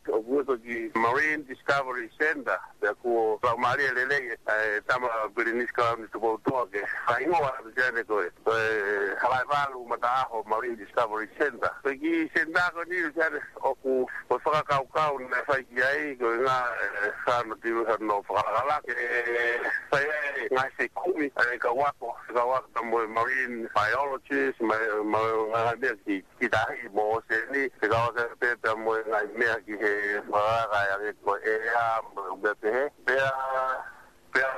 ʻOku ui ko e Marine Discovery Centre, pea kuo laumālie lelei ʻe he tama Pilinisi Kalauni Tupoutoʻa ke fakahingoa atu ki ai ʻene ko e, ko e Halaevalu Mataʻaho Marine Discovery Centre. Ko e kiʻi senitā ko eni ʻoku ʻi ai ʻoku, ko e fakakaukau naʻe fai ki ai, ko e ngaahi, ʻe, sano tiru sano fakalakalaka, ʻe, fai ai ngaahi fekumi, ʻe, kau ako, kau ako pea mo e marine biologist, mo e, mo e ngaahi meʻa ki, ki tahi mo ʻōseni, ʻe kau ako pē pea mo e ngaahi meʻa ki he fakalakalaka ʻa e ko e ʻea, mo e meʻa pehē. Pea, pea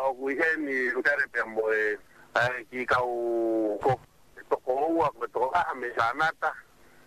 ʻoku ʻi heni ʻuta pea mo e, ʻa e kiʻi kau ko e tokoua, ko e tokotaha mei Kanata,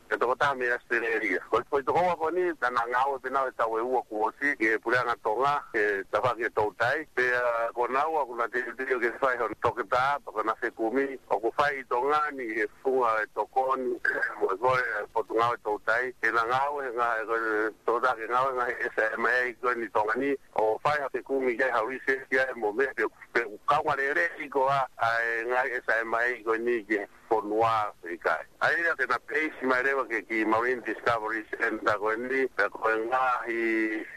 ko e tokotaha mei ʻAositelēlia. Ko e, ko e tokoua ko eni, naʻa na ngāue pē naua he taʻu ʻe ua kuo ʻosi, ki he Puleʻanga Tonga, ki he tafaʻaki ʻo e toutai. Pea ko naua, ʻoku na teuteu ke fai hono toketā, pea ko ʻena fekumi, ʻoku fai ʻi Tonga ni he funga ʻo e tokoni, mo e kole ʻa e Potungāue Toutai, ke na ngāue he ngā-, ko e tokotaha ke ngāue he ngaahi S M A ko eni ʻi Tonga ni, ʻo fai ha fekumi ki ai, ha research ki ai, mo e meʻa pē pe ʻoku kaunga lelei koā ʻa e ngaahi S M A ko eni ki he fonua pe ʻikai. ʻA ia ke na peisi mai leva ki he kiʻi Marine Discovery Centre ko eni, pea ko e ngaahi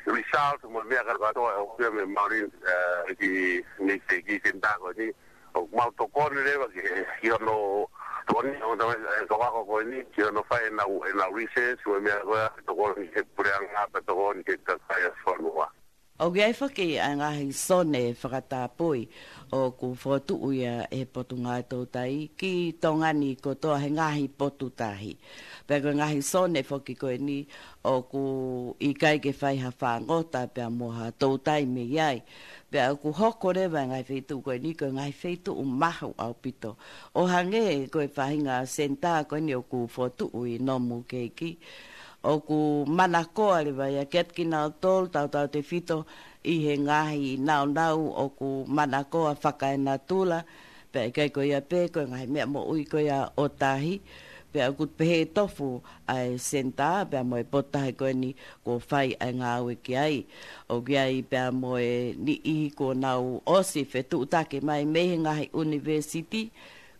result mo e meʻa kātoa ʻoku ʻomai mei he Marine, ʻe, kiʻi, mei he kiʻi senitā ko eni. ʻOku mau tokoni leva ki he, ki hono tokoni, ʻo tama, ʻe, kau ako ko eni, ki hono fai ʻenau, ʻenau research, mo e meʻa ko ia, tokoni ki he puleʻanga, pea tokoni ki he kakai ʻo e fonua. ʻOku ʻi ai foki ʻa e ngaahi sone fakatapui ʻoku fokotuʻu ia ʻe he Potungāue Toutai ki Tonga ni kotoa he ngaahi potu tahi. Pea ko e ngaahi sone foki ko eni ʻoku ʻikai ke fai ha fāngota pea mo ha toutai mei ai. Pea ʻoku hoko leva e ngaahi feituʻu ko eni ko e ngaahi feituʻu mahu ʻaupito. ʻO hangē ko e faʻahinga senitā ko eni ʻoku fokotuʻu ʻi Nomukeiki, ʻoku manakoa leva ia kiate kinautolu tautautefito ʻi he ngaahi naunau ʻoku manakoa fakaenatula, pea ʻikai ko ia pē ko e ngaahi meʻa moʻui ko ia ʻo tahi, pea ʻoku pehē tofu ʻa e senitā, pea mo e potu tahi ko eni kuo fai ʻa e ngāue ki ai. ʻOku ʻi ai pea mo e niʻihi kuo nau ʻosi fetuʻutaki mai mei he ngaahi ʻunivēsiti,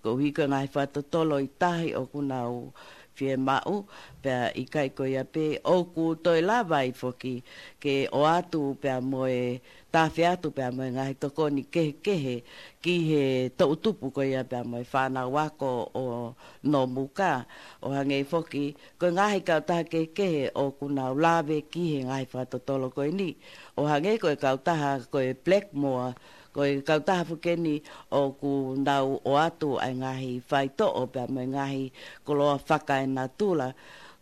koeʻuhi ko e ngaahi fakatotolo ʻi tahi ʻoku nau fiemaʻu, pea ʻikai ko ia pē, ʻoku toe lava ai foki ke ʻoatu pea mo e, tafe atu pea mo e ngaahi tokoni kehekehe ki he toʻutupu ko ia pea mo e fānau ako ʻo Nomuka. ʻO hangē foki, ko e ngaahi kautaha kehekehe ʻoku nau lave ki he ngaahi fakatotolo ko eni. ʻO hangē ko e kautaha ko e Blackmore, ko e kautaha foki eni ʻoku nau ʻoatu ʻa e ngaahi faitoʻo pea mo e ngaahi koloa fakaenatula.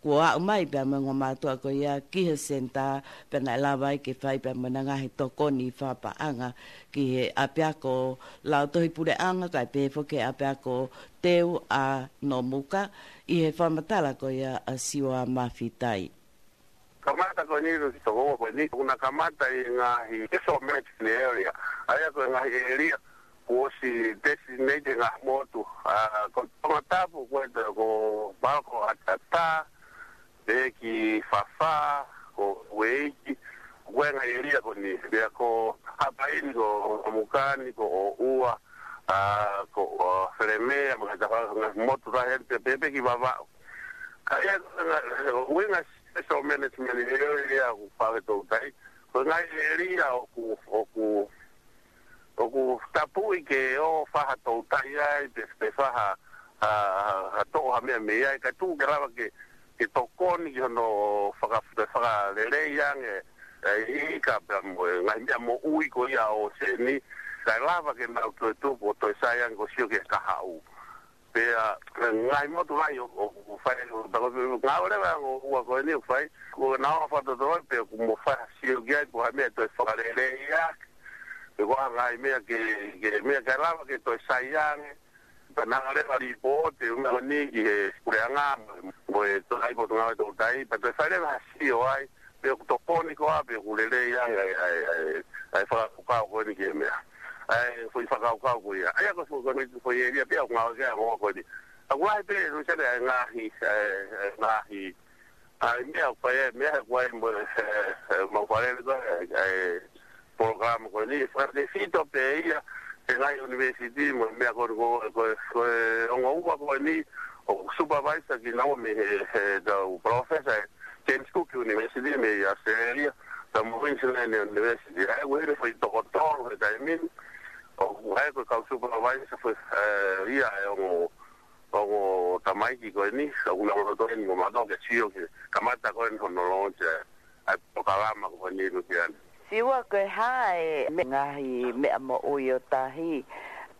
Kuo aʻu mai pea mo e ongo mātuʻa ko ia ki he senitā, pea naʻe lava ai ke fai pea mo e ngaahi tokoni fakapaʻanga ki he ʻapiako lautohi puleʻanga, kae pehē foki ki he ʻapiako teu ʻa Nomuka, ʻi he fakamatala ko ia ʻa Siua Mafitai. Kamata ko eni ʻi he toko ua ko eni, ʻoku na kamata ʻi he ngaahi special management area. ʻA ia ko e ngaahi ʻēlia kuo ʻosi designated ngaahi motu. ʻA, ko Tongatapu ko e, ko Paloko ʻAtatā, pehē ki Fafā, ko Ueiki, ko e ngaahi ʻēlia ko eni. Pea ko Haʻapai ni ko Nomuka ni, ko ʻOua, ʻa, ko, ʻa, Felemea, mo e ngaahi tafaʻaki ngaahi motu lahi eni pea pehē pē ki Vavaʻu. Ka ʻi ai ko e ngaahi, ʻuhinga special management area ʻoku fai ʻe he toutai. Ko e ngaahi ʻēlia ʻoku, ʻoku, ʻoku tapuʻi ke ō fai ha toutai ai, pe, pe fai ha, ha, ha, ha toʻo ha meʻa mei ai, kae tuku ke lava ke, ke tokoni ki hono faka-, fakalelei ange, ʻa e ika pea mo e ngaahi meʻa moʻui ko ia ʻo e ʻōseni, kae lava ke nau toe tupu ʻo toe sai ange ʻo sio ki he kahaʻu. Pea, ʻa e ngaahi motu lahi ʻo, ʻo, ʻoku fai, ʻo, ʻo, ngāue leva ʻa e ongo ua ko eni ʻoku fai, ko e ngāue fakatotolo pea ʻoku mo fai ha sio ki ai, ko ha meʻa toe fakalelei ake, pe ko ha ngaahi meʻa ke, ke meʻa kae lava ke toe sai ange, pea ngāue leva lipooti, ʻo meʻa ko eni ki he puleʻanga, mo e, mo e toutai potungāue toutai, pea toe fai leva ha sio ai, pe ʻoku tokoni koā, pe ʻoku lelei ange ʻa e, ʻa e, ʻa e, ʻa e fakakaukau ko eni ki he meʻa. ʻA e foʻi fakakaukau ko ia. ʻA ia ko e foʻi, ko e foʻi ʻēlia pē ʻoku ngāue ki ai ʻa e ongo ua ko eni. ʻOku lahi pē, Luseane, ʻa e ngaahi, ʻa e, ʻa e ngaahi, ʻa e meʻa ʻoku fai, ʻa e meʻa ʻoku ʻi ai mo e, ʻe, ʻe, mau fale ko e, ʻa e, ʻa e, polokalama ko eni, fakatefito pē ia, he ngaahi university, mo e meʻa ko eni ko, ko, ko e ongo ua ko eni, ʻoku supervisor kinaua mei he, he tau professor, James Cook University mei Australia, pea mo Queensland University. ʻA ia, ʻoku ʻi ai e foʻi toko tolu he taimi ni, ʻoku ʻi ai ko e kau supervisor foʻi, ʻe, ia ʻa e ongo, ongo tamaiki ko eni, ʻoku nau loto eni mo mātou ke sio ke kamata ko eni hono launch ʻa e, ʻa e polokalama ko eni, Luseane. Siua, ko e hā e me-, ngaahi meʻa moʻui ʻo tahi,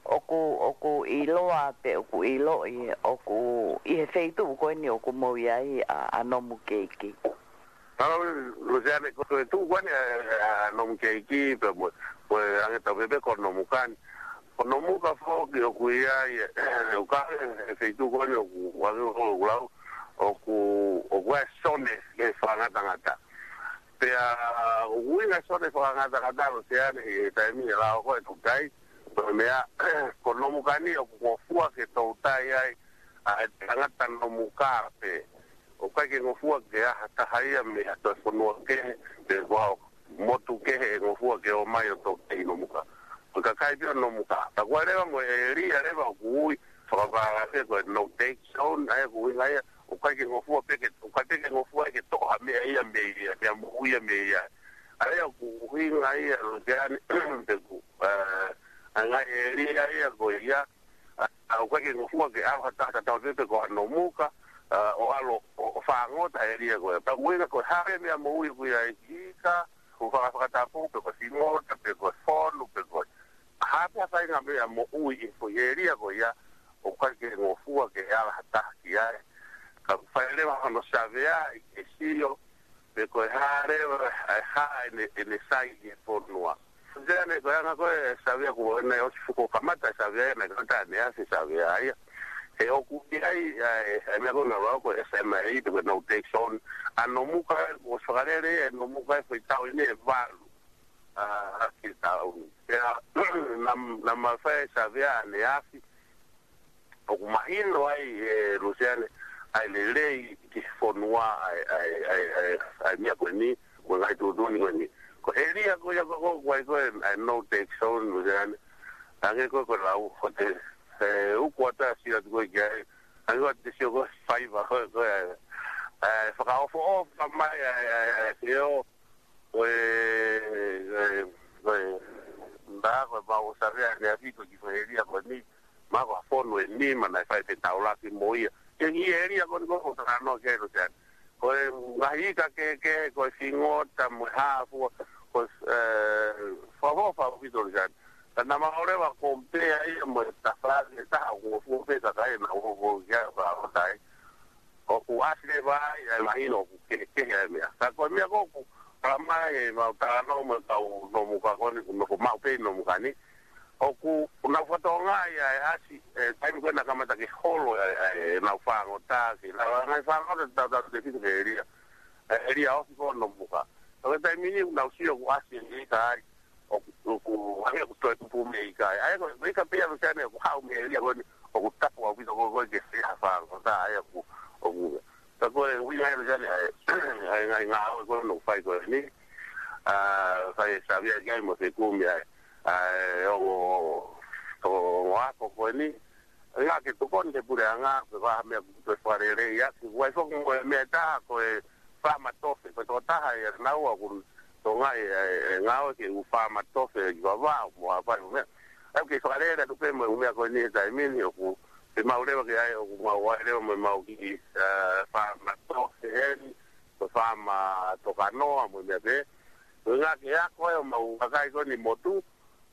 ʻoku, ʻoku ʻiloa pe ʻoku ʻiloʻi, ʻoku ʻi he feituʻu ko eni ʻoku mou ʻi ai ʻa, ʻa Nomukeiki. Mālō, Luseane, ko e tuʻu ko eni ʻa, ʻa Nomukeiki, pea mo, mo e ange tau pehē pē ko Nomuka ni. Ko Nomuka foki ʻoku ʻi ai, ʻe, ʻoku ʻi ai e feituʻu ko eni ʻoku, ʻoku, ʻoku lau, ʻoku, ʻoku ʻi ai e sone ke fakangatangata. Pea, ʻoku ʻi ai e sone fakangatangata, Luseane, he taimi ʻe lao ko e toutai, ko e meʻa, ko Nomuka ni ʻoku ngofua ke toutai ai, ʻa e tangata Nomuka pē. ʻOku ʻikai ke ngofua ke ʻi ai ha taha ia mei ha toe fonua kehe, pe ko ha motu kehe ʻe ngofua ke ō mai ʻo toutai ʻi Nomuka. Ko e kakai pē ʻo Nomuka. Ka ko e leva mo e ʻēlia leva ʻoku ui, fakapālangi ko e no take zone, ʻa ia ʻoku ʻuhinga ia, ʻoku ʻikai ke ngofua pē ke, ʻoku ʻikai pē ke ngofua ke toʻo ha meʻa ia mei ai, meʻa moʻui ia mei ai. ʻA ia ʻoku ʻuhinga ia, Luseane, pe ko, ʻa, ʻa e ngaahi ʻēlia ia ko ia, ʻa, ʻoku ʻikai ke ngofua ke ʻalu ha taha tatau pē pe ko ha Nomuka, ʻa, ʻo ʻalu ʻo, ʻo fangota ʻēlia ko ia. Pea ʻuhinga ko e hā e meʻa moʻui ʻoku ʻi ai, ika, ʻoku faka-, fakatapu, pe ko e fingota, pe ko e fonu, pe ko e hā pē ha faʻahinga meʻa moʻui ʻi he foʻi ʻēlia ko ia, ʻoku ʻikai ke ngofua ke ala ha taha ki ai. Ka fai leva hono savea ʻi he sio, pe ko e hā leva, ʻa e hā ʻene, ʻene sai ʻi he fonua. Luseane, ko e anga ko e savea ko ena ʻosi fuko kamata e savea, naʻe kamata ʻaneafi e savea ia. He ʻoku ʻi ai, ʻa e, ʻa e meʻa ko ena lau ko e S M A, pe ko e no take zone. ʻA Nomuka, ʻosi fakalele ʻe Nomuka e foʻi taʻu ʻe valu. ʻA, ʻa ki he taʻu ni. Pea, naʻa, naʻa ma fai e savea ʻaneafi, ʻoku mahino ai, ʻe Luseane, ʻa e lelei ki he fonua ʻa e, ʻa e, ʻa e, ʻa e, ʻa e meʻa ko eni, mo e ngaahi tuʻutuʻuni ko eni. Ko e ʻēlia ko ia ko, ko, ko ai ko e, ʻa e no take zone, Luseane. Hangē ko e, ko e lau, ko e, ʻe, uku ata sila tu ko e ki ai, Ai, ua te sio ko e faiva, ko e, ko e, ē, fakaʻofoʻofa mai, ē, ē, ē, ē, sio, ko e, ko e, ko e, nda, ko e mau savea ne afiko ki fo elia ko eni, ma ko fonu eni, ma naʻe fai pē taulaki mo ia. Ke ngi elia ko ni ko ko tano ke lo jan. Ko e ngaahi ika kehekehe, ko e fingota mo e hā fua, ko e, ē, fakaʻofoʻofa ʻaupito lo jan. Ka naʻa mau leva compare ia mo e tafaʻaki ʻe taha ʻoku ngofua pē kakai naʻa nau ngofua ki ai ʻo ka ʻotai. ʻOku ʻasi leva ai, ʻa e mahino ʻoku kehekehe ʻa e meʻa. Ka ko e meʻa ko ē ʻoku talamai ʻe mau talanoa mo e kau Nomuka ko eni, ʻoku nofo maʻu pē ʻi Nomuka ni. ʻOku nau fakatokangaʻi ʻa e ʻasi, ē, taimi ko ē naʻe kamata ke holo ʻa e, ʻa e, ʻenau fāngota, ke lava ngaahi fāngota tautautefito ki he elia. ʻE, elia ofi ko Nomuka. Ka ko e taimi ni ʻoku nau sio ʻoku ʻasi e ika ai, ʻoku, ʻoku hangē ʻoku toe tupu mei he ika ai. ʻA ia ko e ika pē ia Luseane ʻoku haʻu mei he elia ko eni, ʻoku tapu ʻaupito ko ē ke fai ha fāngota, ʻa ia ʻoku, ʻoku. Ka ko e ʻuhinga ia Luseane ʻa e, ʻa e ngaahi ngāue ko ē ʻoku fai ko eni. Ā, fai e savea ki ai mo fekumi ai. Ā, ʻo, ʻo, ʻo ako ko eni. Ngā ke tokoni he puleʻanga, ko e vaha meʻa ʻoku toe fakalelei ʻaki. Ua i foki mo e meʻa ʻe taha ko e faama tofe, ko e tokotaha ia naua ʻoku tokangaʻi e, e ngāue ke ʻū faama tofe ki Vavaʻu mo Haʻapai mo e meʻa. ʻOku kei fakalele atu pē mo e ʻū meʻa ko eni he taimi ni ʻoku, te mau leva ke ʻai ʻoku mau ʻai leva mo e mau kiʻi, ē, faama tofe eni, ko e faama tokanoa mo e meʻa pē. Ko e ngā ke ako ai ʻo mau kakai ko eni motu,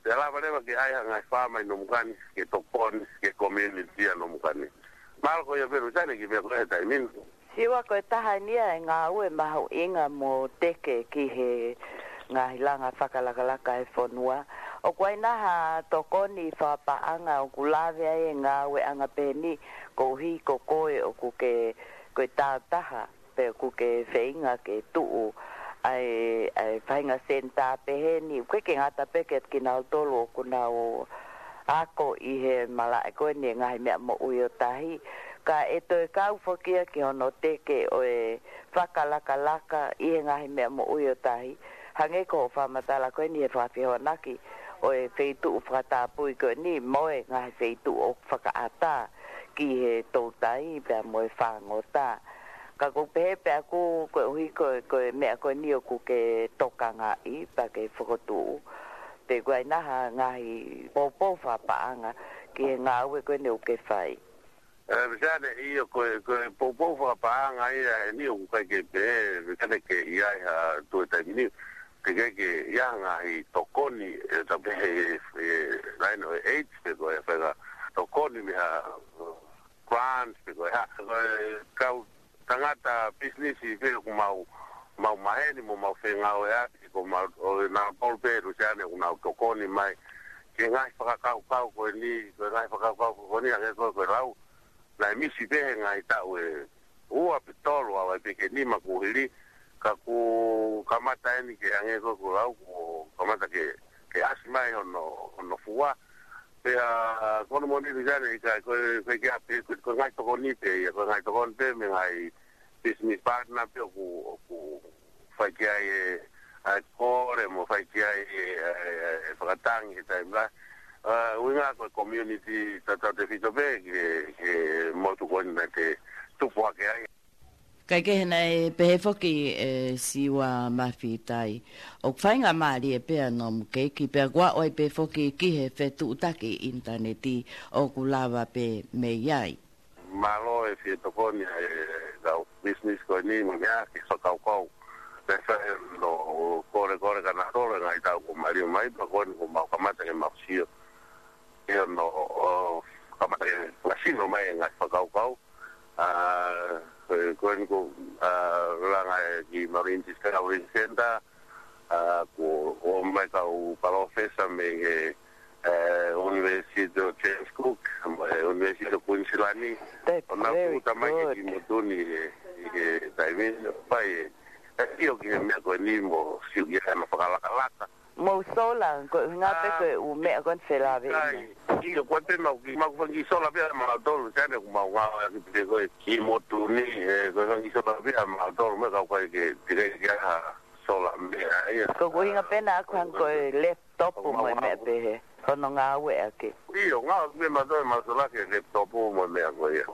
te lava leva ke ʻai ha ngaahi faama ʻi Nomuka ni, ke tokoni ki he community ʻa Nomuka ni. Mālō ko ia pē Luseane ki he meʻa ko ē he taimi ni. Siua ko e taha eni ia e ngāue mahuʻinga mo teke ki he ngaahi langa fakalakalaka e fonua. ʻOku ʻi ai nai ha tokoni fakapaʻanga ʻoku lave ai e ngāueʻanga pehē ni koeʻuhi ko koe ʻoku ke, ko e tāutaha pe ʻoku ke feinga ke tuʻu ʻa e, ʻa e faʻahinga senitā pehē ni, ʻoku ʻikai ke ngata pē kiate kinautolu ʻoku nau ako ʻi he malaʻe ko eni e ngaahi meʻa moʻui ʻo tahi, ka ʻe toe kau foki ia ki hono teke ʻo e fakalakalaka ʻi he ngaahi meʻa moʻui ʻo tahi, hangē ko hoʻo fakamatala ko eni he fakafehoanaki ʻo e feituʻu fakatapui ko eni mo e ngaahi feituʻu ʻoku fakaʻatā ki he toutai pea mo e fāngota. Ka ʻoku ou pehē pē ʻaku koeʻuhi ko e, ko e meʻa ko eni ʻoku ke tokangaʻi pea ke fokotuʻu, pe ʻoku ʻi ai nai ha ngaahi poupou fakapaʻanga ki he ngāue ko eni ʻoku ke fai. Ē, Luseane, ʻio ko e, ko e poupou fakapaʻanga ia eni ʻoku ʻikai ke pehē, Luseane, ke ʻi ai ha toe taimi ni, ke ʻikai ke ʻi ai ha ngaahi tokoni, ē, ta pehē, ē, laine ʻo e aids, pe ko e faʻahinga tokoni mei ha grants pe ko e hā, ko e kau tangata pisinisi pē ʻoku mau, mau maheni mo mau fengāueʻaki, ko mau, ʻo e nau polu pē Luseane ʻoku nau tokoni mai ki he ngaahi fakakaukau ko eni, ko e ngaahi fakakaukau ko eni, hangē ko e, ko e lau, naʻe misi pē he ngaahi taʻu ʻe ua pe tolu ʻa e pē ke nima kuo hili, ka kuo kamata eni ke hangē ko e, ko e lau, kuo kamata ke, ke ʻasi mai hono, hono fua, Pea, ko hono moʻoni Luseane ʻikai, ko e, ko e ke ape, ko e, ko e ngaahi tokoni pē ia, ko e ngaahi tokoni pē mei he ngaahi business partner pē ʻoku, ʻoku fai ki ai e, ʻa e kole mo fai ki ai e, e, e, e fakatangi he taimi lahi. Ā, ʻuhinga ko e community tautautefito pē ki he, ki he motu ko eni naʻa te tupu hake ai. Kae kehe naʻe pehē foki ʻe Siua Mafitai, ʻoku faingamālie pē ʻa Nomukeiki, pea kuo ʻosi pē foki ki he fetuʻutaki ʻinitaneti ʻoku lava pē mei ai. Mālō e fie tokoni ʻa e kau business ko eni mo e meʻa ke fakakaukau. Pea sai no kole kole ka na tolo e ngaahi taʻu kuo maliu mai, pea ko eni kuo mau kamata ke mau sio. ʻIo no, ʻo, kamata ke masino mai e ngaahi fakakaukau. Ā, ko e, ko eni ko, ā, langa e ki Marine Discovery Center, ā, ko, ʻomai kau palōfesa mei he, ē, University of James Cook, mo e University of Queensland. That's very good. ʻO nau tuʻuta mai ki he motu ni he, he taimi ni, pai e, ē, ʻio ki he meʻa ko eni mo, sio ki he ana fakalakalaka. Mo sola, ko e ʻuhinga pē ko e ʻū meʻa ko eni felāveʻi. ʻIo, ko e pē mau ki, mau fanga kiʻi sola pē ʻa mautolu, Luseane, ʻoku mau ngāueʻaki pē ko e ki motu ni, ē, ko e fanga kiʻi sola pē ʻa mautolu, mo e kau kai ke, te kai ke ha sola meʻa, ia. Ko e ʻuhinga pē naʻa ʻoku hangē ko e laptop mo e meʻa pehē, hono ngāueʻaki. ʻIo, ngāueʻaki pē mautolu, mau sola ki he laptop mo e meʻa ko ia.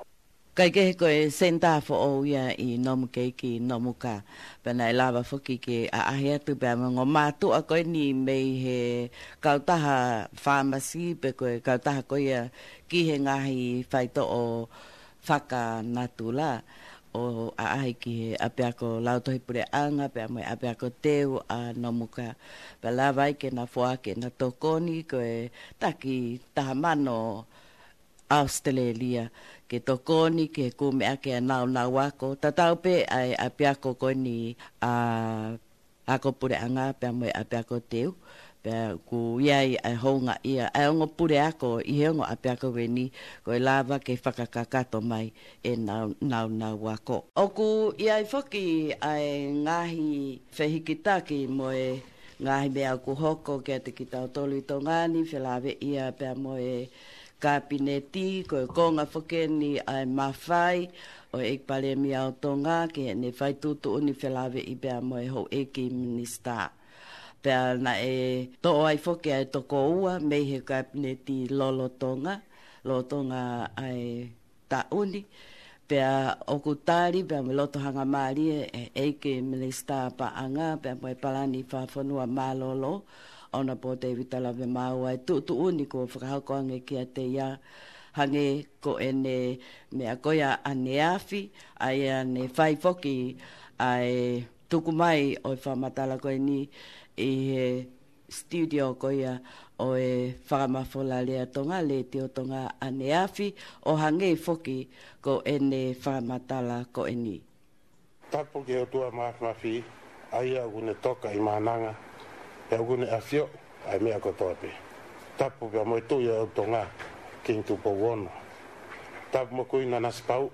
Kaikehe ko e senitā foʻou ia ʻi Nomukeiki, Nomuka. Pea naʻe lava foki ke ʻaʻahi atu pea mo e ongo mātuʻa ko eni mei he kautaha fāmasi pe ko e kautaha ko ia ki he ngaahi faitoʻo fakanatula ʻo ʻaʻahi ki he ʻapiako lautohi puleʻanga pea mo e ʻapiako teu ʻa Nomuka. Pea lava ai ke na foaki ʻena tokoni ko e taki taha mano ʻAositelēlia ke tokoni ki he kumi ʻaki ʻa e naunau ako. Tatau pē ʻa e ʻapiako ko eni ʻa ako puleʻanga pea mo e ʻapiako teu. Pea ʻoku ʻi ai ʻa e houngaʻia ʻa e ongo puleako ʻi he ongo ʻapiako ko eni ko e lava ke fakakakato mai e nau-, naunau ako. ʻOku ʻi ai foki ʻa e ngaahi fehikitaki mo e ngaahi meʻa ʻoku hoko kiate kitautolu ʻi Tonga ni, felāveʻi ia pea mo e Kapineti, ko e konga foki eni ʻa e mafai ʻo e ʻEiki Palēmia ʻo Tonga ke ne fai tuʻutuʻuni felāveʻi pea mo e houʻeiki minisitā. Pea naʻe toʻo ai foki ʻa e toko ua mei he Kapineti lolotonga, lolotonga ʻa e taʻu ni. Pea ʻoku tali pea mo e loto hangamālie ʻe he ʻEiki Minisitā Paʻanga pea mo e Palani Fakafonua Mālōlō, ʻOnapō Tēvita Lavemaau, ʻa e tuʻutuʻuni kuo fakahoko ange kiate ia, hangē ko ʻene meʻa ko ia ʻaneafi, ʻa ia ne fai foki ʻa e tuku mai ʻo e fakamatala ko eni ʻi he studio ko ia ʻo e Fakamafola Lea Tonga, Letiō Tonga ʻaneafi, ʻo hangē foki ko ʻene fakamatala ko eni. Tapu ki he ʻOtua Māfimafi, ʻa ia ʻoku ne toka ʻi Maʻananga, pea ʻoku ne ʻafioʻi ʻa e meʻa kotoa pē. Tapu pea mo e Tuʻi ʻo Tonga, Kingi Tupou Ono. Tapu mo Kuini Nanasipauʻu,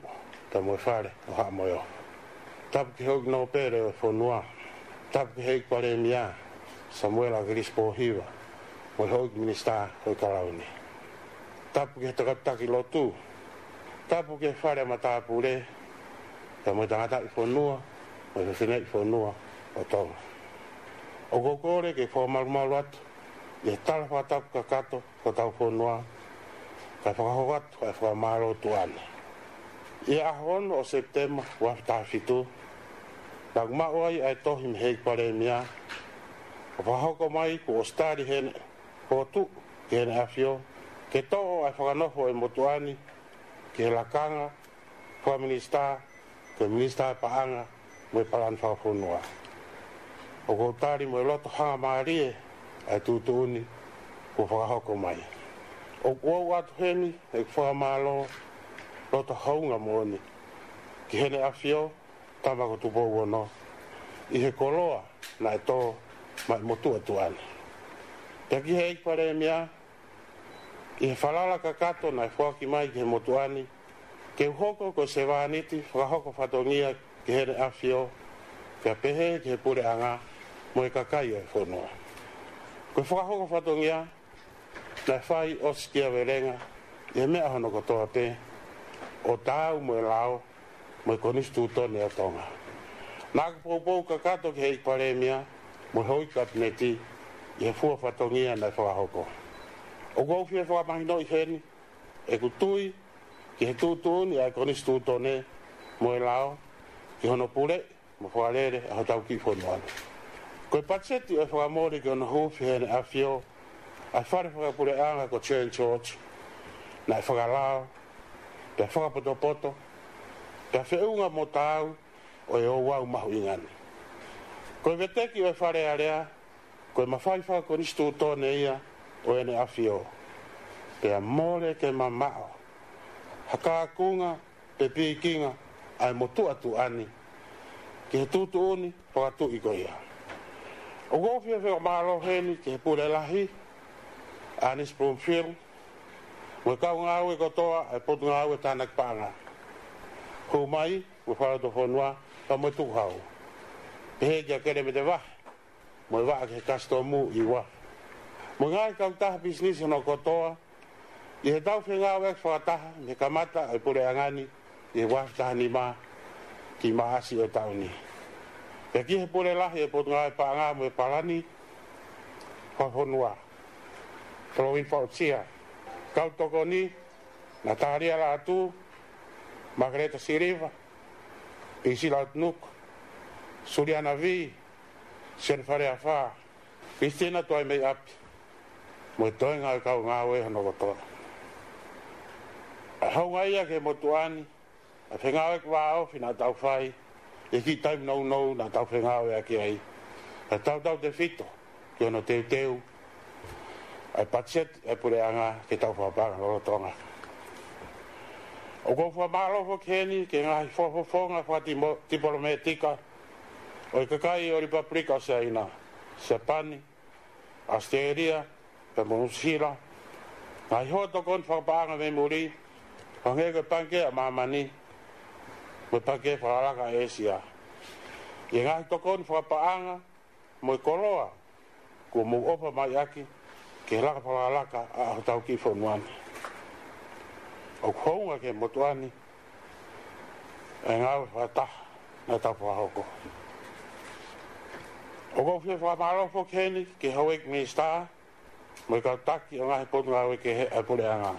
pea mo e Fale ʻo Haʻa Moheofo. Tapu ki he houʻeiki nōpele ʻo e fonua. Tapu ki he ʻEiki Palēmia, Samuela ʻAkilisi Pōhiva, mo e houʻeiki minisitā ʻo e Kalauni. Tapu ki he takataki lotu. Tapu ki he fale ʻa matāpule, pea mo e tangataʻi fonua, mo e fefineʻi fonua ʻo Tonga. ʻOku ou kole ke fakamalumalu atu ʻi he tala fakatapu kakato ki hotau fonua, kae fakahoko atu ʻa e fakamālō tuʻa ni. ʻI he ʻaho ono ʻo Sepitema ua afe taha fitu, naʻa ku maʻu ai ʻa e tohi mei he ʻEiki Palēmia, ʻo fakahoko mai kuo ʻosi tali heʻene fokotuʻu ki heʻene ʻAfio, ke toʻo ʻa e fakanofo ʻo e motuʻa ni ki he lakanga fakaminisitā, ko e Minisitā Paʻanga mo e Palani Fakafonua. ʻOku ou tali mo e loto hangamālie ʻa e tuʻutuʻuni kuo fakahoko mai. ʻOku ou ʻoatu heni ʻeku fakamālō loto hounga moʻoni ki heʻene ʻAfio, Tama ko Tupou Ono, ʻi he koloa naʻe tō mai motuʻa tuʻa ni. Pea ki he ʻEiki Palēmia, ʻi he falala kakato naʻe foaki mai ki he motuʻa ni, ke u hoko ko e sevāniti fakahoko fatongia ki heʻene ʻAfio, pea pehē ki he puleʻanga mo e kakai ʻo e fonua. Ko e fakahoko fatongia naʻe fai ʻosi kiavelenga ʻi he meʻa hono kotoa pē, ʻo taau mo e lao mo e Konisitūtone ʻo Tonga. Naʻa ku poupou kakato ki he ʻEiki Palēmia mo e houʻeiki Kapineti ʻi he fua fatongia naʻe fakahoko. ʻOku ou fie fakamahinoʻi heni ʻeku tui ki he tuʻutuʻuni ʻa e Konisitūtone mo e lao ki hono puleʻi mo fakalele ʻa hotau kiʻi fonua ni. Ko e patiseti ʻo e fakamole ki hono huufi heʻene ʻAfio ʻa e fale fakapuleʻanga ko Saint George, naʻe fakalao, pea fakapotopoto, pea feʻunga mo taau ʻo e ouau mahuʻinga ni. Ko e veteki ʻo e Fale Alea, ko e mafai fakakonisitūtone ia ʻo ʻene ʻAfio. Pea mole ke mamaʻo ha kakunga pe pikinga ʻa e motuʻa tuʻa ni ki he tuʻutuʻuni fakatuʻi ko ia. ʻOku ou fie fakamālō heni ki he Pule Lahi, ʻAnisi Bloomfield, mo e kau ngāue kotoa ʻa e Potungāue Tānaki Paʻanga, hū mai mo e Fakalotofonua, pea mo e Tukuhau, pehē kia Kelemete Vahe mo e Vaʻa ki he Kasitomu ʻi Uafu, mo e ngaahi kautaha pisinisi hono kotoa, ʻi heʻetau fengāueʻaki fakataha mei he kamata ʻo e puleʻanga ni ʻi he ua afe taha nima ki Maʻasi ʻo e taʻu ni. Pea ki he Pule Lahi ʻo e Potungāue Paʻanga mo e Palani Fakafonua, Kolowini Fakaʻosia, kau tokoni, Natalia Lātū, Makeleta Siliva, Pisila Tunuku, Suliana Vī, Sione Faleafā, Kristina Tuaimeiʻapi, mo e toenga ʻo e kau ngāue hono kotoa. ʻA e houngaʻia ki he motuʻa ni, ʻa e fengāueʻaki vāofi naʻa tau fai, ʻi he kiʻi taimi nounou naʻa tau fengāueʻaki ai. ʻA e tautautefito ki hono teuteu ʻa e patiseti ʻa e puleʻanga ke tau fakapaʻanga lolotonga. ʻOku ou fakamālō foki heni ki he ngaahi fakafofonga fakatimo-, tipolometika ʻo e kakai ʻo e Lipapulika ʻo Siaina, Siapani, ʻAositelēlia, pea mo Nuʻusila, ngaahi houʻeiki tokoni fakapaʻanga mei muli, hangē ko e Pangikē ʻa Māmani, mo e Pangikē Fakalakalaka ʻa ʻĒsia. ʻI he ngaahi tokoni fakapaʻanga mo e koloa kuo mou ʻofa mai ʻaki ki he laka fakalakalaka ʻa hotau kiʻi fonua ni. ʻOku hounga ki he motuʻa ni ʻa e ngāue fakataha naʻa tau fakahoko. ʻOku ou fie fakamālō foki heni ki he houʻeiki minisitā mo e kau taki ʻo e ngaahi potungāue kehe ʻa e puleʻanga.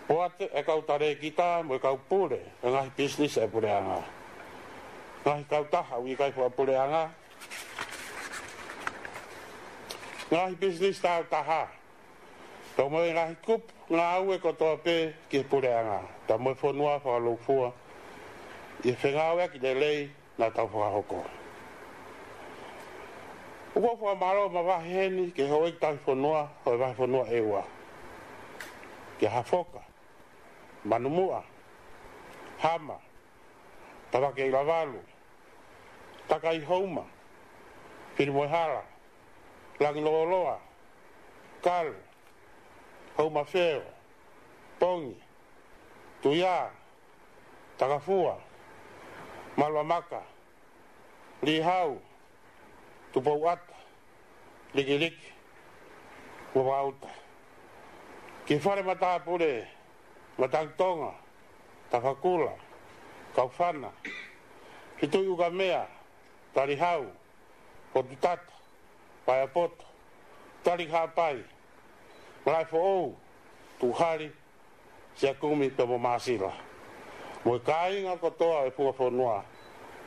Poate ʻa e kau talēkita mo e kau pule ʻo e ngaahi pisinisi ʻa e puleʻanga. Ngaahi kautaha ʻoku ʻikai fakapuleʻanga, ngaahi pisinisi tāutaha, pea mo e ngaahi kupu ngāue kotoa pē ki he puleʻanga, pea mo e fonua fakalūkufua, ʻi he fengāueʻaki lelei naʻa tau fakahoko. ʻOku ou fakamālō mavahe heni ki he houʻeiki tauhi fonua ʻo e vahefonua ʻEua, kia Hafoka, Manumuʻa, Hama, Tavake ʻi Lavalu, Takai Houma, Filimoehala, Langilōloa, Kalu, Houmafeo, Pongi, Tuiā, Takafua, Maluamaka, Lihau, Tupouʻata, Likiliki, mo Vaʻauta. Ki he fale matāpule, Matangi Tonga, Tafakula, Kaufana, Fetuʻi ʻUkamea, Talihau, Potutata, Paeapoto, Taliki Haʻapai, Malaʻe Foʻou, Tuʻuhali, Siakumi pea mo Māsila, mo e kāinga kotoa ʻo e funga fonua,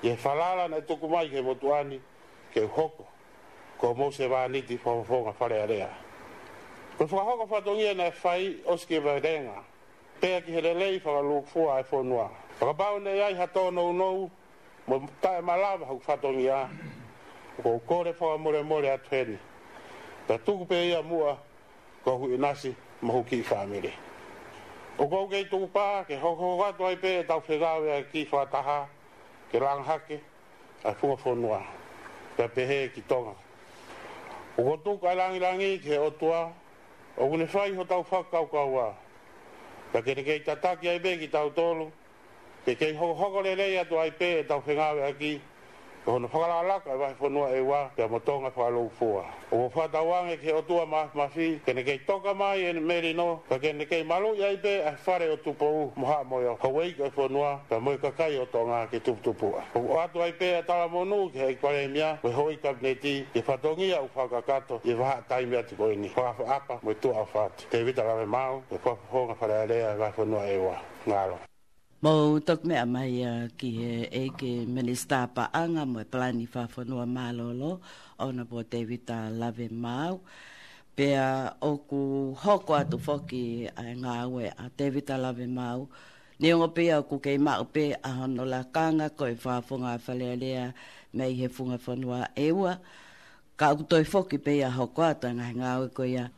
ʻi he falala naʻe tuku mai ki he motuʻa ni ke u hoko ko homou sevāniti fakafofonga Fale Alea. Ko e fakahoko fatongia naʻe fai ʻosi ki he valenga, pea ki he lelei fakalūkufua ʻa e fonua. Fakapapau naʻe ʻi ai ha tōnounou mo taʻemalava hoku fatongia, ʻoku ou kole fakamolemole atu heni, pea tuku pē ia muʻa ki ho huʻi ʻinasi mo ho kiʻi fāmili. ʻOku ou kei tukupā ke hokohoko atu ai pē ʻetau fengāueʻaki fakataha ke langa hake ʻa e funga fonua, pea pehē ki Tonga. ʻOku ou tuku ʻa e langilangi ki he ʻOtua ʻoku ne fai hotau fakakaukaua, pea ke ne kei tataki ai pē kitautolu ke kei hokohoko lelei atu ai pē ʻetau fengāueʻaki ʻi hono fakalakalaka ʻa e vahefonua ʻEua pea mo Tonga fakalūkufua. ʻOku ou fakatauange ki he ʻOtua Māfimafi ke ne kei toka mai ʻene melino, pea ke ne kei maluʻi ai pē ʻa e fale ʻo Tupou mo Haʻamoio, houʻeiki ʻo e fonua, pea mo e kakai ʻo Tonga ke tuputupuʻa. ʻOku ʻoatu ai pē ʻa e talamonū ki he ʻEiki Palēmia mo e houʻeiki Kapineti ʻi he fatongia ʻoku fakakakato ʻi he vahaʻa taimi atu ko eni. Fakaʻapaʻapa mo e tuʻa ʻofa atu. Tēvita Lavemaau, ʻo e Fakafofonga Fale Alea ʻo e Vahefonua ʻEua. Mālō. Mou toki meʻa mai ia ki he ʻEiki Minisitā Paʻanga mo e Palani Fakafonua Mālōlō, Honourable Tēvita Lavemaau. Pea ʻoku hoko atu foki ʻa e ngāue ʻa Tēvita Lavemaau, neongo pē ia ʻoku kei maʻu pē ʻa hono lakanga ko e Fakafofonga Fale Alea mei he funga fonua ʻEua, ka ʻoku toe foki pē ia ʻo hoko atu ʻa e ngaahi ngāue ko ia